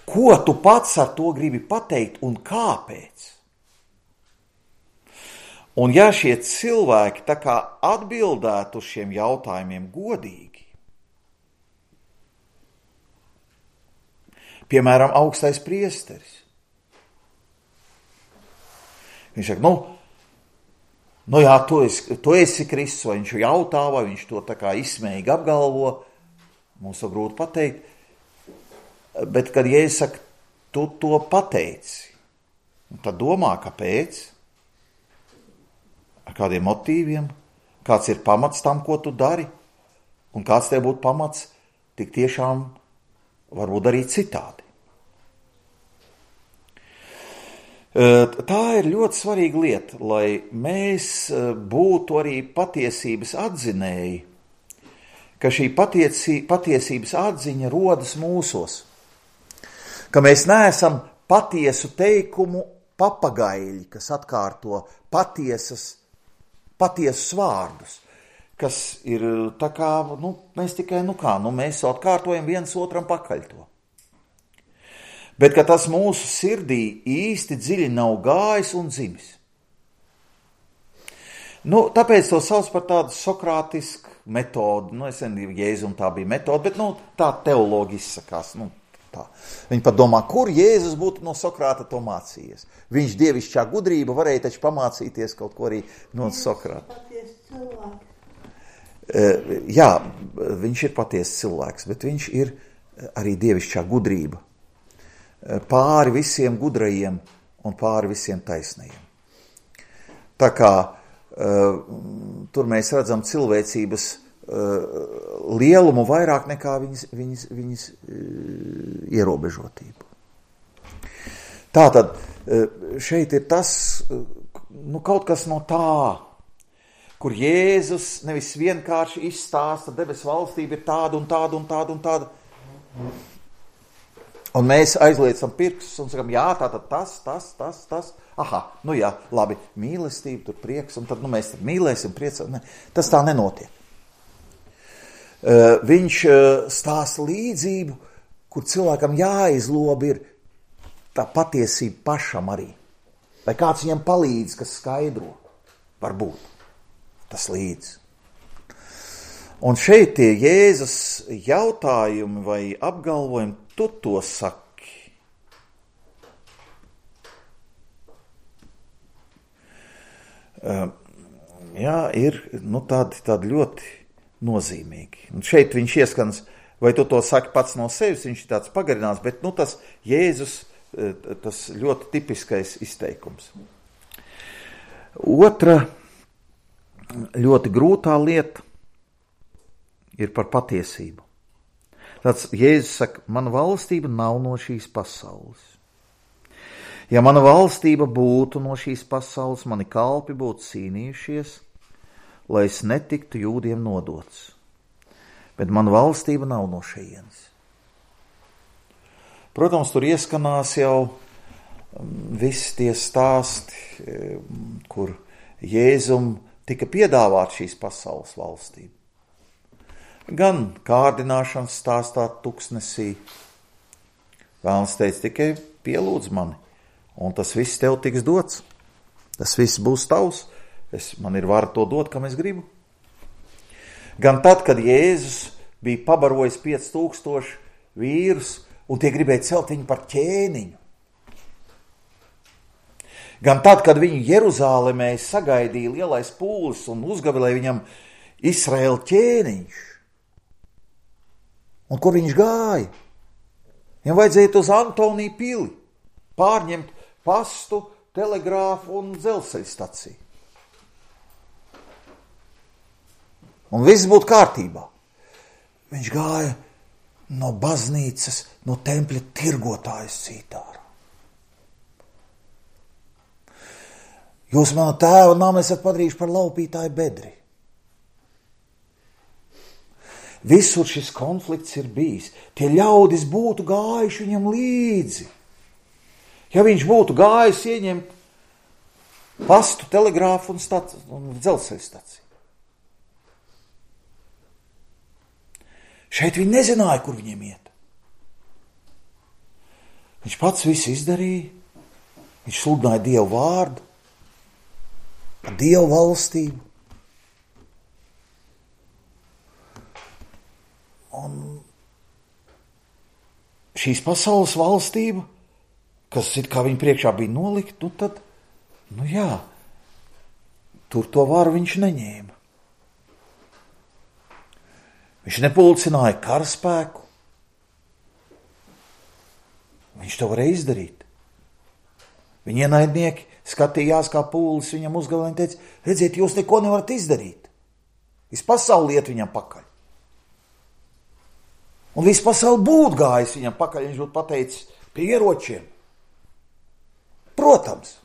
Speaker 1: Ko tu pats ar to gribi pateikt un kāpēc? Un ja šie cilvēki tā kā atbildētu uz šiem jautājumiem godīgi, piemēram, augstais priesteris, viņš saka, jā, tu esi Kristus, vai viņš jautā, vai viņš to tā kā izsmējīgi apgalvo, mums to grūti pateikt, bet kad Jēzus saka, tu to pateici, tad domā, kāpēc, ar kādiem motīviem, kāds ir pamats tam, ko tu dari, un kāds tev būtu pamats tik tiešām varbūt darīt citādi. Tā ir ļoti svarīga lieta, lai mēs būtu arī patiesības atzinēji, ka šī patiesības atziņa rodas mūsos, ka mēs neesam patiesu teikumu papagaļi, kas atkārto patiesus vārdus, kas ir tā kā, mēs tikai, mēs atkārtojam viens otram pakaļ to. Bet ka tas mūsu sirdī īsti dziļi nav gājis un dzimis. Tāpēc to sauc par tādu sokrātisku metodu. Es nezinu, Jēzum tā bija metode, bet tā teologi izsakās. Tā. Viņi pat domā, kur Jēzus būtu no Sokrāta to mācījies. Viņš dievišķā gudrība varēja taču pamācīties kaut ko arī no Sokrāta. Jā, viņš ir patiesas cilvēks, bet viņš ir arī dievišķā gudrība. Pāri visiem gudrajiem un pāri visiem taisnajiem. Tā kā tur mēs redzam cilvēcības lielumu vairāk nekā viņas ierobežotību. Tātad šeit ir tas, kaut kas no tā, kur Jēzus nevis vienkārši izstāsta, debesu valstība ir tāda un tāda un tāda un tāda. Un mēs aizliecam pirkstus un sakam, jā, tātad tas. Aha, jā, labi, mīlestība, tur prieks, un tad mēs mīlēsim, priecam. Ne, tas tā nenotiek. viņš stāsta līdzību, kur cilvēkam jāizlob ir tā patiesība pašam arī. Vai kāds viņam palīdz, kas skaidro, varbūt tas līdz. Un šeit tie Jēzus jautājumi vai apgalvojumi, tu to saki. Jā, ir tādi ļoti nozīmīgi. Un šeit viņš ieskans, vai tu to saki pats no sevis, viņš ir tāds pagarināts, bet tas Jēzus, tas ļoti tipiskais izteikums. Otra ļoti grūtā lieta ir par patiesību. Tāds Jēzus saka, mana valstība nav no šīs pasaules. Ja mana valstība būtu no šīs pasaules, mani kalpi būtu cīnījušies, lai es netiktu jūdiem nodots. Bet mana valstība nav no šejienes. Protams, tur ieskanās jau visi tie stāsti, kur Jēzum tika piedāvāt šīs pasaules valstība. Gan kārdināšanas stāstā tuksnesī. Vēlns teica, tikai pielūdz mani, un tas viss tev tiks dots. Tas viss būs tavs. Man ir vara to dot, kam es gribu. Gan tad, kad Jēzus bija pabarojis 5000 vīrus, un tie gribēja celt viņu par ķēniņu. Gan tad, kad viņu Jeruzālemē sagaidīja lielais pūlis un uzgavilēja viņam Izraēla ķēniņš. Un kur viņš gāja? Viņam vajadzēja uz Antoniju pili, pārņemt pastu, telegrāfu un dzelzceļa staciju. Un viss būtu kārtībā. Viņš gāja no baznīcas, no tempļa tirgotājas cītārā. Jūs manu tēvu namu esat padarījuši par laupītāju bedri. Visur šis konflikts ir bijis. Tie ļaudis būtu gājuši viņam līdzi. Ja viņš būtu gājis ieņemt pastu, telegrāfu un dzelzceļa staciju. Šeit viņi nezināja, kur viņiem iet. Viņš pats visu izdarīja. Viņš sludināja Dievu vārdu, Dievu valstību. Un šīs pasaules valstība, kas it kā viņa priekšā bija nolikt, tad, tur to varu viņš neņēma. Viņš nepulcināja karaspēku. Viņš to varēja izdarīt. Viņa ienaidnieki skatījās, kā pūlis viņam uzgavilēja un teica, redziet, jūs neko nevarat izdarīt. Visu pasauli iet viņam pakaļ. Un visu pasauli būtu gājis viņam pakaļ, viņš būtu pateicis pie ieročiem. Protams.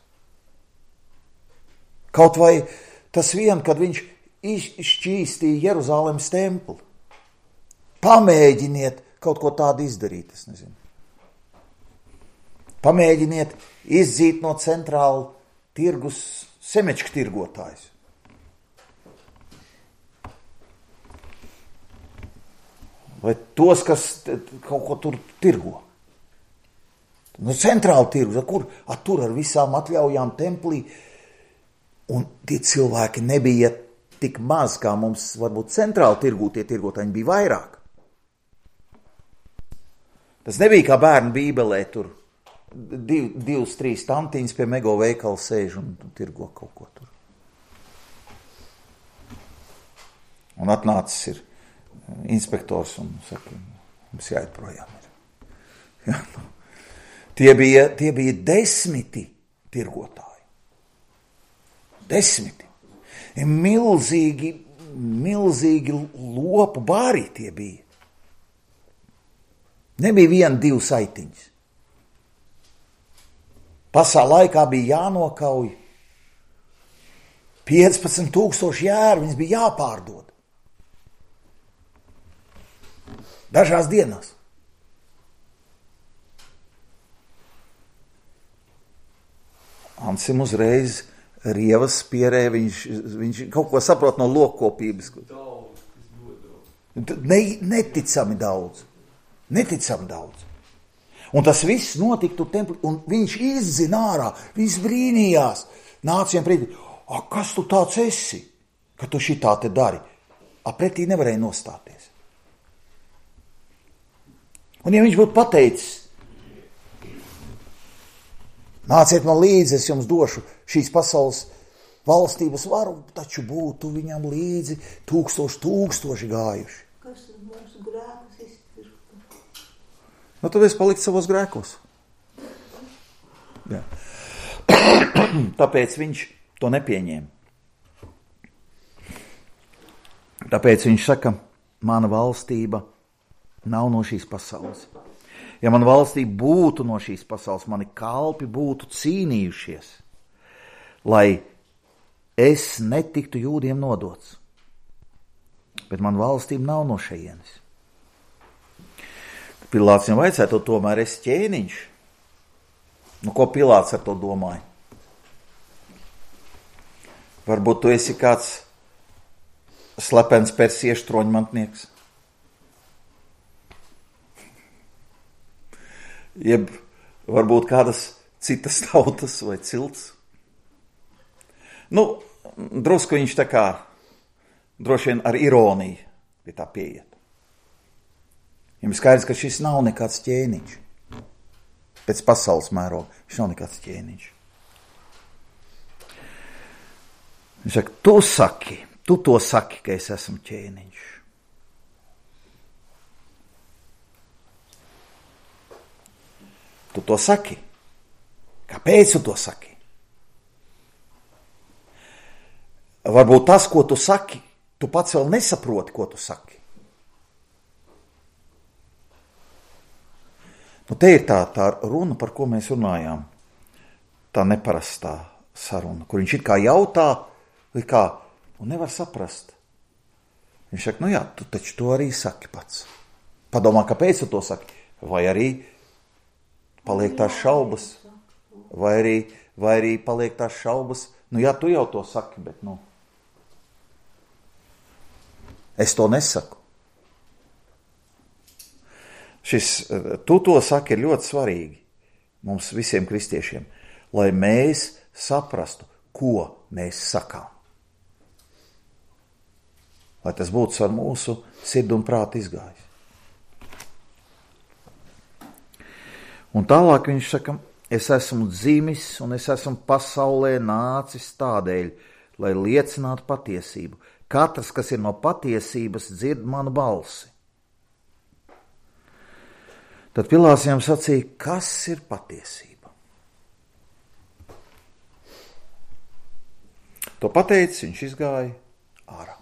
Speaker 1: Kaut vai tas vien, kad viņš izšķīstīja Jeruzālemes templi. Pamēģiniet kaut ko tādu izdarīt, es nezinu. Pamēģiniet izdzīt no centrāla tirgus semečku tirgotājus. Vai tos, kas kaut ko tur tirgo. No centrāla tirgus, tur ar visām atļaujām templī. Un tie cilvēki nebija tik maz, kā mums varbūt centrāla tirgū tie tirgotāji bija vairāk. Tas nebija kā bērnu bībelē, tur 2-3 tantiņas pie mego veikala sēž un tirgo kaut ko tur. Un atnācis ir inspektors un saka, mums jāiet projām. Ja, Tie bija 10 tirgotāji. 10. Milzīgi lopu bāri tie bija. Nebija 1-2 saitiņas. Pasā laikā bija jānokauj 15,000 jēru, viņas bija jāpārdod. Dažās dienās. Ansim uzreiz rievas pierē, viņš kaut ko saprot no lokkopības.
Speaker 3: Daudz, kas ļoti daudz.
Speaker 1: Neticami daudz. Neticami daudz. Un tas viss notika tur templī, un viņš izzina ārā, viņš brīnījās. Nāca viņam pretī, kas tu tāds esi, ka tu šitā te dari? Pretī nevarēja nostāties. Un ja viņš būtu pateicis, nāciet man līdzi, es jums došu šīs pasaules valstības varu, taču būtu viņam līdzi tūkstoši gājuši.
Speaker 4: Kas mūsu grēkus izpirka?
Speaker 1: Nu, tad es paliktu savos grēkos. Jā. Tāpēc viņš to nepieņēma. Tāpēc viņš saka, mana valstība nav no šīs pasaules. Ja mana valstība būtu no šīs pasaules, mani kalpi būtu cīnījušies, lai es netiktu jūdiem nodots. Bet mana valstība nav no šejienes. Pilāts viņam vajadzētu, tomēr es ķēniņš. Nu, ko Pilāts ar to domāja? Varbūt tu esi kāds slepens persiešu troņmantnieks. Jeb varbūt kādas citas tautas vai cilts. Nu, drusku viņš tā kā droši vien ar ironiju pie tā pieiet. Viņam skaidrs, ka šis nav nekāds ķēniņš. Pēc pasaules mēroga viņš nav nekāds ķēniņš. Viņš saka, tu to saki, ka es esmu ķēniņš. Tu to saki. Kāpēc tu to saki? Varbūt tas, ko tu saki, tu pats vēl nesaproti, ko tu saki. Nu, te ir tā runa, par ko mēs runājām. Tā neparastā saruna, kur viņš it kā jautā, vai kā, un nevar saprast. Viņš saka, nu jā, tu taču to arī saki pats. Padomā, kāpēc tu to saki? Vai arī paliek tās šaubas? Vai arī paliek tās šaubas? Nu jā, tu jau to saki, bet nu. Es to nesaku. Šis tu to saki ir ļoti svarīgi mums visiem kristiešiem, lai mēs saprastu, ko mēs sakām. Lai tas būtu ar mūsu sirdi un prātu izgājis. Un tālāk viņš saka, es esmu dzimis un es esmu pasaulē nācis tādēļ, lai liecinātu patiesību. Katrs, kas ir no patiesības, dzird manu balsi. Tad Pilāts viņam sacīja, kas ir patiesība? To pateicis, viņš izgāja ārā.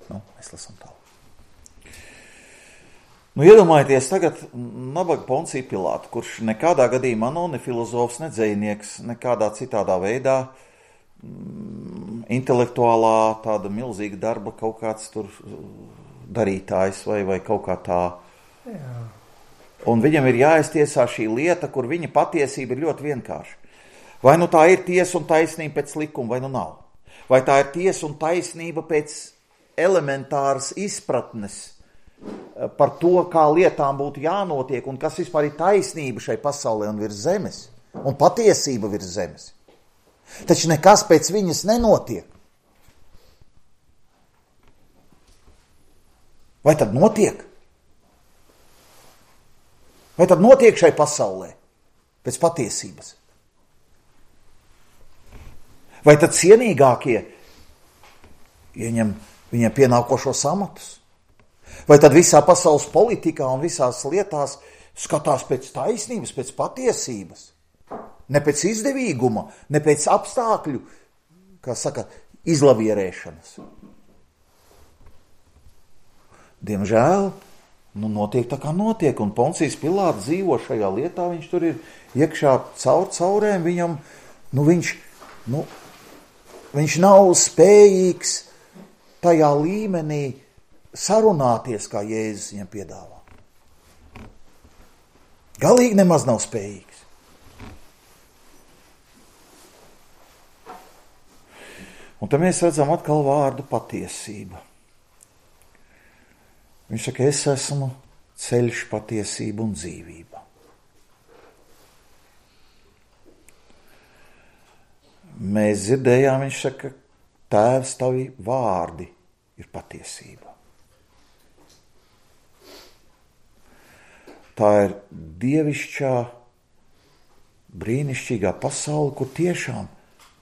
Speaker 1: Nu, mēs lasām tālāk. Nu, iedomājieties tagad nabaga Poncija Pilātu, kurš nekādā gadījumā nav ne filozofs, ne dzejnieks, nekādā citādā veidā intelektuālā tāda milzīga darba kaut kāds tur darītājs vai kaut kā tā.
Speaker 2: Jā.
Speaker 1: Un viņam ir jāiztiesā šī lieta, kur viņa patiesība ir ļoti vienkārša. Vai nu tā ir tiesa un taisnība pēc likuma, vai nu nav. Vai tā ir tiesa un taisnība pēc elementāras izpratnes par to, kā lietām būtu jānotiek un kas vispār ir taisnība šai pasaulē un virs zemes. Un patiesība virs zemes. Taču nekas pēc viņas nenotiek. Vai tad notiek? Vai tad notiek šai pasaulē pēc patiesības? Vai tad cienīgākie ieņem viņiem pienākošos amatus? Vai tad visā pasaules politikā un visās lietās skatās pēc taisnības, pēc patiesības? Ne pēc izdevīguma, ne pēc apstākļu, kā saka, izlavierēšanas. Diemžēl, notiek tā kā notiek, un Poncijs Pilāts dzīvo šajā lietā, viņš tur ir iekšā caurēm, viņam, viņš nav spējīgs tajā līmenī sarunāties, kā Jēzus viņam piedāvā. Galīgi nemaz nav spējīgs. Un te mēs redzam atkal vārdu patiesība. Viņš saka, es esmu ceļš, patiesība un dzīvība. Mēs dzirdējām, viņš saka, Tēvs, tavi vārdi ir patiesība. Tā ir dievišķā, brīnišķīgā pasaule, kur tiešām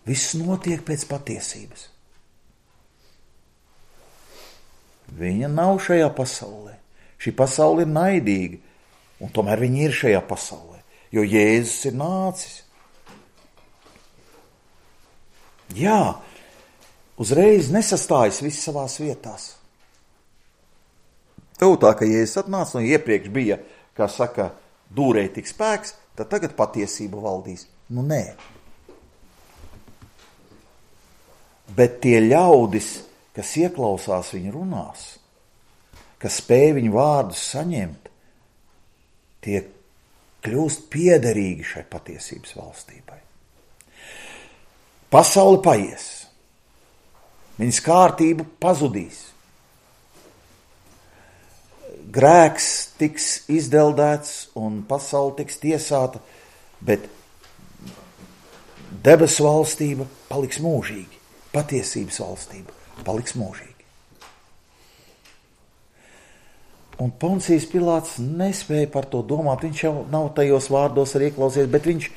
Speaker 1: viss notiek pēc patiesības. Viņa nav šajā pasaulē. Šī pasaule ir naidīga, un tomēr viņa ir šajā pasaulē, jo Jēzus ir nācis. Jā, uzreiz nesastājas viss savās vietās. Tev tā, ka Jēzus atnāca, un iepriekš bija, kā saka, dūrēja tik spēks, tad tagad patiesība valdīs. Nu, nē. Bet tie ļaudis, kas ieklausās viņa runās, kas spēj viņu vārdus saņemt, tie kļūst piederīgi šai patiesības valstībai. Pasaule paies. Viņas kārtība pazudīs. Grēks tiks izdeldēts un pasaule tiks tiesāta, bet debesu valstība paliks mūžīgi. Patiesības valstība paliks mūžīgi. Un Poncijs Pilāts nespēja par to domāt, viņš jau nav tajos vārdos arī ieklausies, bet viņš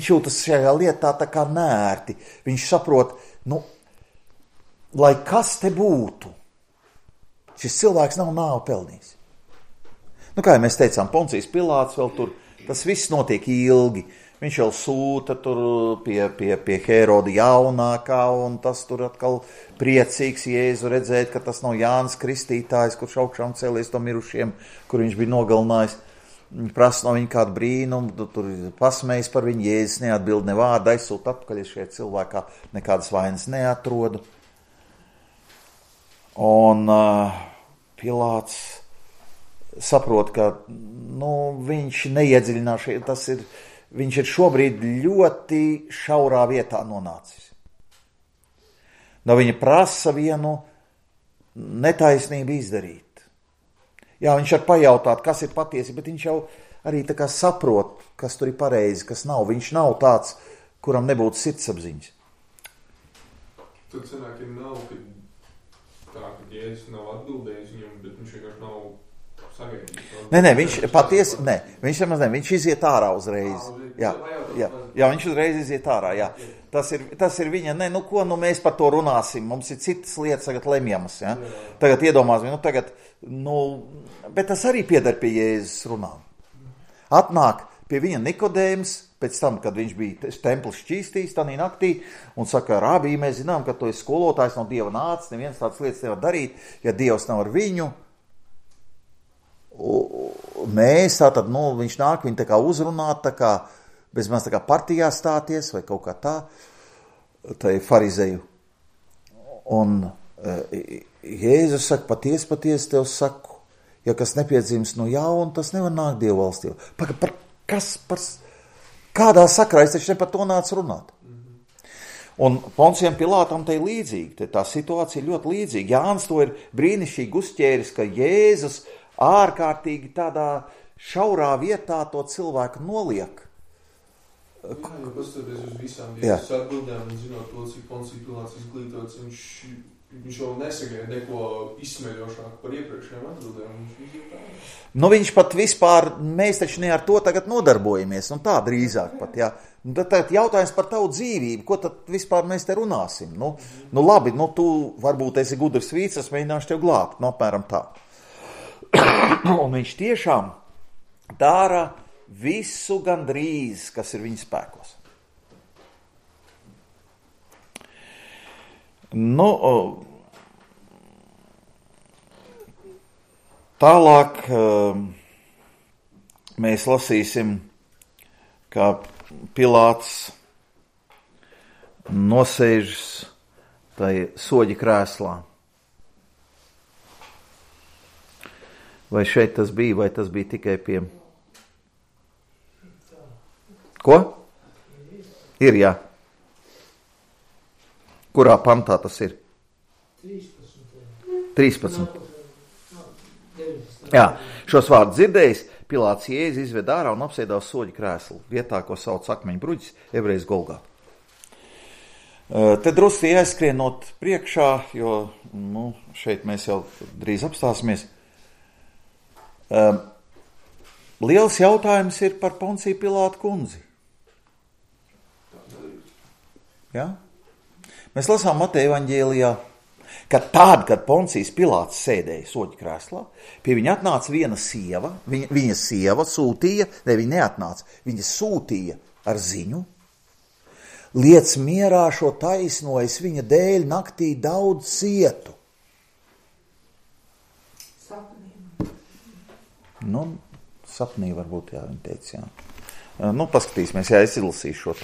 Speaker 1: jūtas šajā lietā tā kā nērti. Viņš saprot, lai kas te būtu, šis cilvēks nav nāvu pelnījis. Kā mēs teicām, Poncijs Pilāts vēl tur, tas viss notiek ilgi. Viņš jau sūta tur pie Hēroda jaunākā, un tas tur atkal priecīgs Jēzu redzēt, ka tas nav Jānis Kristītājs, kurš augšām cēlies to mirušiem, kur viņš bija nogalinājis. Prasa no viņa kādu brīnumu, tur pasmējas par viņu, Jēzus neatbild ne vārdu, aizsūt atpakaļ šajā cilvēkā, nekādas vainas neatrodu. Un Pilāts saprot, ka viņš neiedziļinās, viņš ir šobrīd ļoti šaurā vietā nonācis. Viņa prasa vienu netaisnību izdarīt. Jā, viņš var pajautāt, kas ir patiesi, bet viņš jau arī tā kā saprot, kas tur ir pareizi, kas nav. Viņš nav tāds, kuram nebūtu sirdsapziņas.
Speaker 3: Tad sanāk, ja nav, ka Jēzus nav atbildējis viņam, bet viņš vienkārši nav sagaidījis. Viņš iziet ārā uzreiz. Jā, viņš uzreiz iziet ārā, jā. Tas ir viņa, mēs par to runāsim, mums ir citas lietas tagad lemjamas, ja? Tagad iedomāsim, bet tas arī pieder pie Jēzus runām. Atnāk pie viņa Nikodēms, pēc tam, kad viņš bija templis šķīstījis tanī naktī, un saka, Rabī, mēs zinām, ka tu esi skolotājs no Dieva nācis, neviens tādas lietas nevar darīt, ja Dievs nav ar viņu. Mēs tātad, viņš nāk viņu tā kā uzrunāt, tā kā bezmaz tā kā partijā stāties, vai kaut kā tā ir farizeju. Un Jēzus saka, patiesi tev saku, ja kas nepiedzims no jauna, tas nevar nākt Dieva valstībā. Kādā sakrā es taču ne par to nācu runāt? Un Poncijam Pilātam te ir līdzīgi, tā situācija ir ļoti līdzīga. Jānis to ir brīnišķīgi uzķēris, ka Jēzus ārkārtīgi tādā šaurā vietā to cilvēku noliek. Jā, jo pastoties uz visām Jēzus atbildēm un zinot to, cik Poncija Pilāts izglītots, viņš jau nesagaida neko izsmeļošāk par iepriekšējām atbildēm.
Speaker 1: Viņš pat vispār, mēs taču ne ar to tagad nodarbojamies, tā drīzāk pat, jā. Tad jautājums par tavu dzīvību, ko tad vispār mēs te runāsim? Labi, tu varbūt esi gudrs vīts, es mēģināšu tev glābt, apmēram tā. Un viņš tiešām dara visu gandrīz, kas ir viņa spēkos. Tālāk mēs lasīsim, kā Pilāts nosēžas tai soļa krēslā. Vai šeit tas bija, vai tas bija tikai pie... Ko? Ir, jā. Kurā pantā tas ir? 13.
Speaker 3: Jā, šos vārdus dzirdējis, Pilāts Jēzu izved ārā un apsēdās soļu krēslu, vietā, ko sauc akmeņu bruģis, ebrejas Golgā. Te drusku jāizskrienot priekšā, jo šeit mēs jau drīz apstāsimies. Liels jautājums ir par Ponciju Pilātu kundzi. Ja? Mēs lasām Mateja evaņģēlijā, ka tad, kad Poncijs Pilāts sēdēja soļu krēslā, pie viņa atnāca viena sieva, viņa sieva sūtīja, viņa neatnāca, viņa sūtīja ar ziņu, liec mierā šo taisno, es viņa dēļ naktī daudz cietu. Sapnī varbūt, jā, viņa teica, jā. Paskatīsimies, jā, es izlasīšu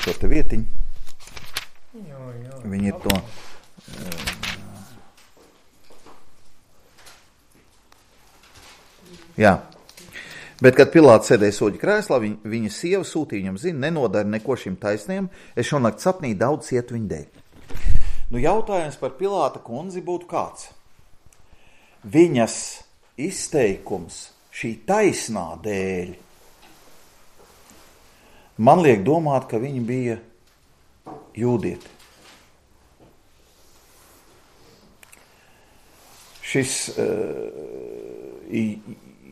Speaker 3: šo te vietiņu. Viņi ir to... Jā. Bet, kad Pilāts sēdēja soļu krēslā, viņa sieva sūtīja viņam ziņu, nenodara neko šim taisniem, es šonakt sapnī daudz cietu viņa dēļ. Jautājums par Pilāta kundzi būtu kāds. Viņas izteikums šī taisnā dēļ man liek domāt, ka viņa bija jūdieti.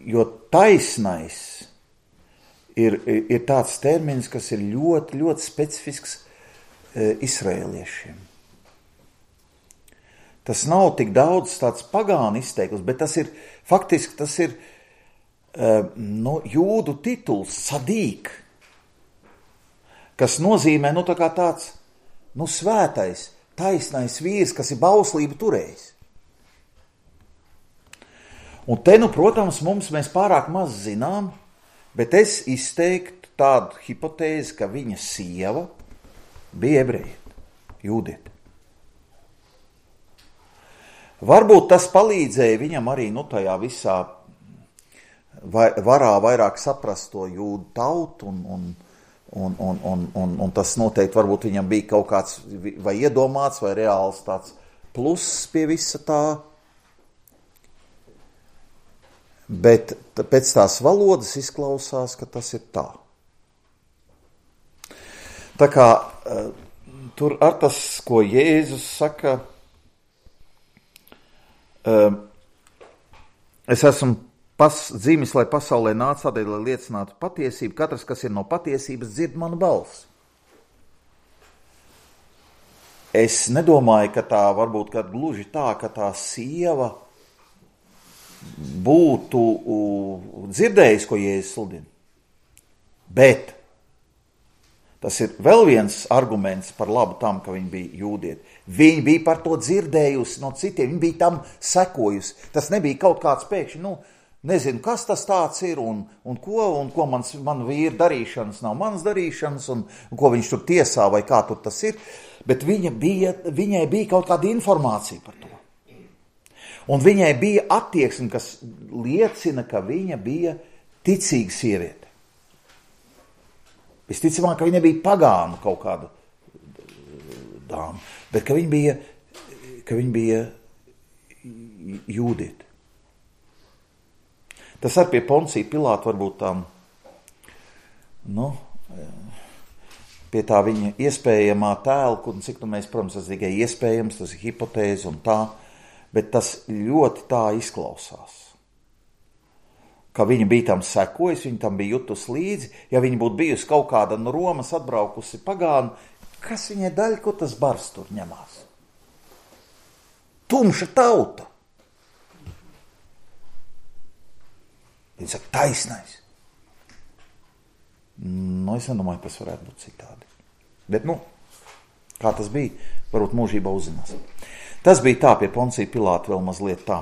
Speaker 3: Jo taisnais ir tāds termins, kas ir ļoti, ļoti specifisks izraēliešiem. Tas nav tik daudz tāds pagānu izteikums, bet tas ir, faktiski jūdu tituls, sadīk, kas nozīmē, tā kā tāds, svētais, taisnais vīrs, kas ir bauslību turējis. Un te, protams, mēs pārāk maz zinām, bet es izteiktu tādu hipotēzi, ka viņa sieva bija ebrejiete, jūdiete. Varbūt tas palīdzēja viņam arī, tajā visā varā vairāk saprast to jūdu tautu, un tas noteikti varbūt viņam bija kaut kāds vai iedomāts, vai reāls tāds pluss pie visa tā. Bet pēc tās valodas izklausās, ka tas ir tā. Tā kā tur ar tas, ko Jēzus saka, es esmu dzimis, lai pasaulē nāca tādēļ, lai liecinātu patiesību. Katrs, kas ir no patiesības, dzird manu balsi. Es nedomāju, ka tā varbūt kad gluži tā, ka tā sieva būtu dzirdējis, ko Jēzus sludina. Bet tas ir vēl viens arguments par labu tam, ka viņi bija jūdieti. Viņi bija par to dzirdējusi no citiem, viņi bija tam sekojusi. Tas nebija kaut kāds pēkšņi, nezinu, kas tas tāds ir un ko man vīra darīšanas nav manas darīšanas un ko viņš tur tiesā vai kā tur tas ir. Bet viņai bija kaut kāda informācija par to. Un viņai bija attieksme, kas liecina, ka viņa bija ticīga sieviete. Visticamāk, ka viņa bija pagānu kaut kāda dāma, bet ka viņa bija jūdiete. Tas ar pie Poncija Pilāta varbūt tām, pie tā viņa iespējamā tēla, un cik mēs, protams, tas tikai iespējams, tas ir hipotēze un tā, bet tas ļoti tā izklausās. Ka viņa bija tam sekojusi, viņa tam bija jutus līdzi, ja viņa būtu bijusi kaut kāda no Romas atbraukusi pagānu, kas viņai daļa, ko tas bars tur ņemās? Tumša tauta. Viņa saka, taisnais. Es nedomāju, tas varētu būt citādi. Bet, kā tas bija, varbūt mūžībā uzzinās. Tas bija tā pie Poncija Pilāta vēl mazliet tā,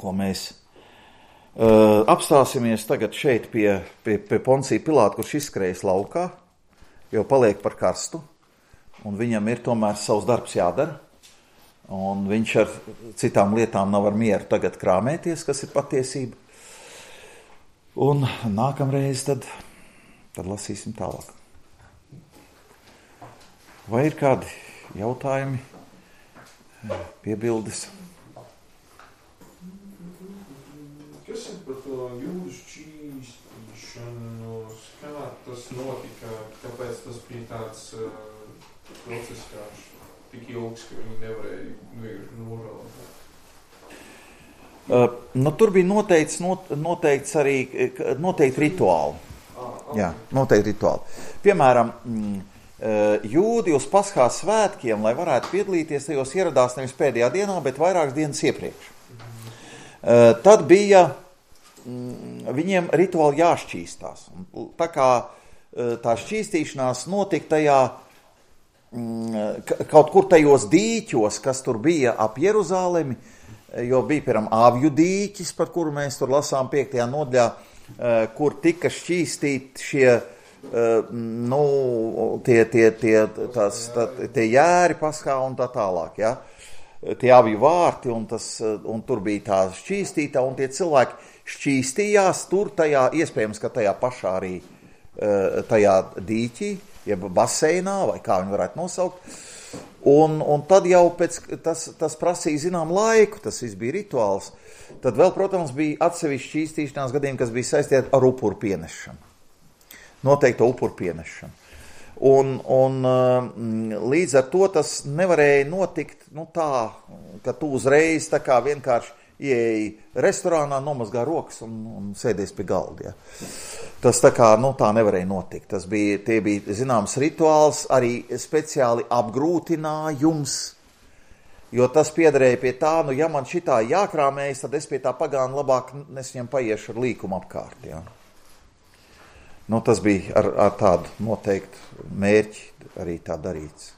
Speaker 3: ko mēs apstāsimies tagad šeit pie Poncija Pilāta, kurš izskrējas laukā, jo paliek par karstu, un viņam ir tomēr savs darbs jādara, un viņš ar citām lietām nav ar mieru tagad krāmēties, kas ir patiesība. Un nākamreiz tad lasīsim tālāk. Vai ir kādi jautājumi? Piebildes.
Speaker 5: interesanti par to jūdu šķīstīšanu, kā tas notika, kāpēc tas bija tāds process, kā tik ilgs, ka viņi nevarēja vienkārši nožēlot.
Speaker 3: Tur bija noteikts arī noteikti rituāli.
Speaker 5: Okay.
Speaker 3: Jā, noteikti rituāli. Piemēram, jūdi uz Paskās svētkiem, lai varētu piedalīties, tajos ieradās nevis pēdējā dienā, bet vairākas dienas iepriekš. Tad bija viņiem rituāli jāšķīstās. Tā kā tā šķīstīšanās notika tajā kaut kur tajos dīķos, kas tur bija ap Jeruzālemi, jo bija, piemēram, Avju dīķis, par kuru mēs tur lasām 5. nodaļā, kur tika šķīstīti šie tie jēri Paskā un tā tālāk, ja? Tie Avju vārti, un tur bija tā šķīstītā, un tie cilvēki šķīstījās tur tajā, iespējams, ka tajā pašā arī tajā dīķī, jeb baseinā, vai kā viņi varētu nosaukt, un tad jau tas prasīja zinām laiku, tas viss bija rituāls. Tad vēl, protams, bija atsevišķi šķīstīšanās gadījumi, kas bija saistīti ar upuru pienešanu. Noteikto upuru pienešanu. Un līdz ar to tas nevarēja notikt tā, ka tu uzreiz tā kā vienkārši ieeji restorānā, nomazgā rokas un sēdies pie galda. Ja. Tas tā kā tā nevarēja notikt. Tie bija zināms rituāls, arī speciāli apgrūtinājums, jo tas piederēja pie tā, ja man šitā jākrāmējas, tad es pie tā pagāna labāk viņam paiešu ar līkumu apkārt. Ja. Tas bija ar tādu noteiktu mērķi arī tā darīts.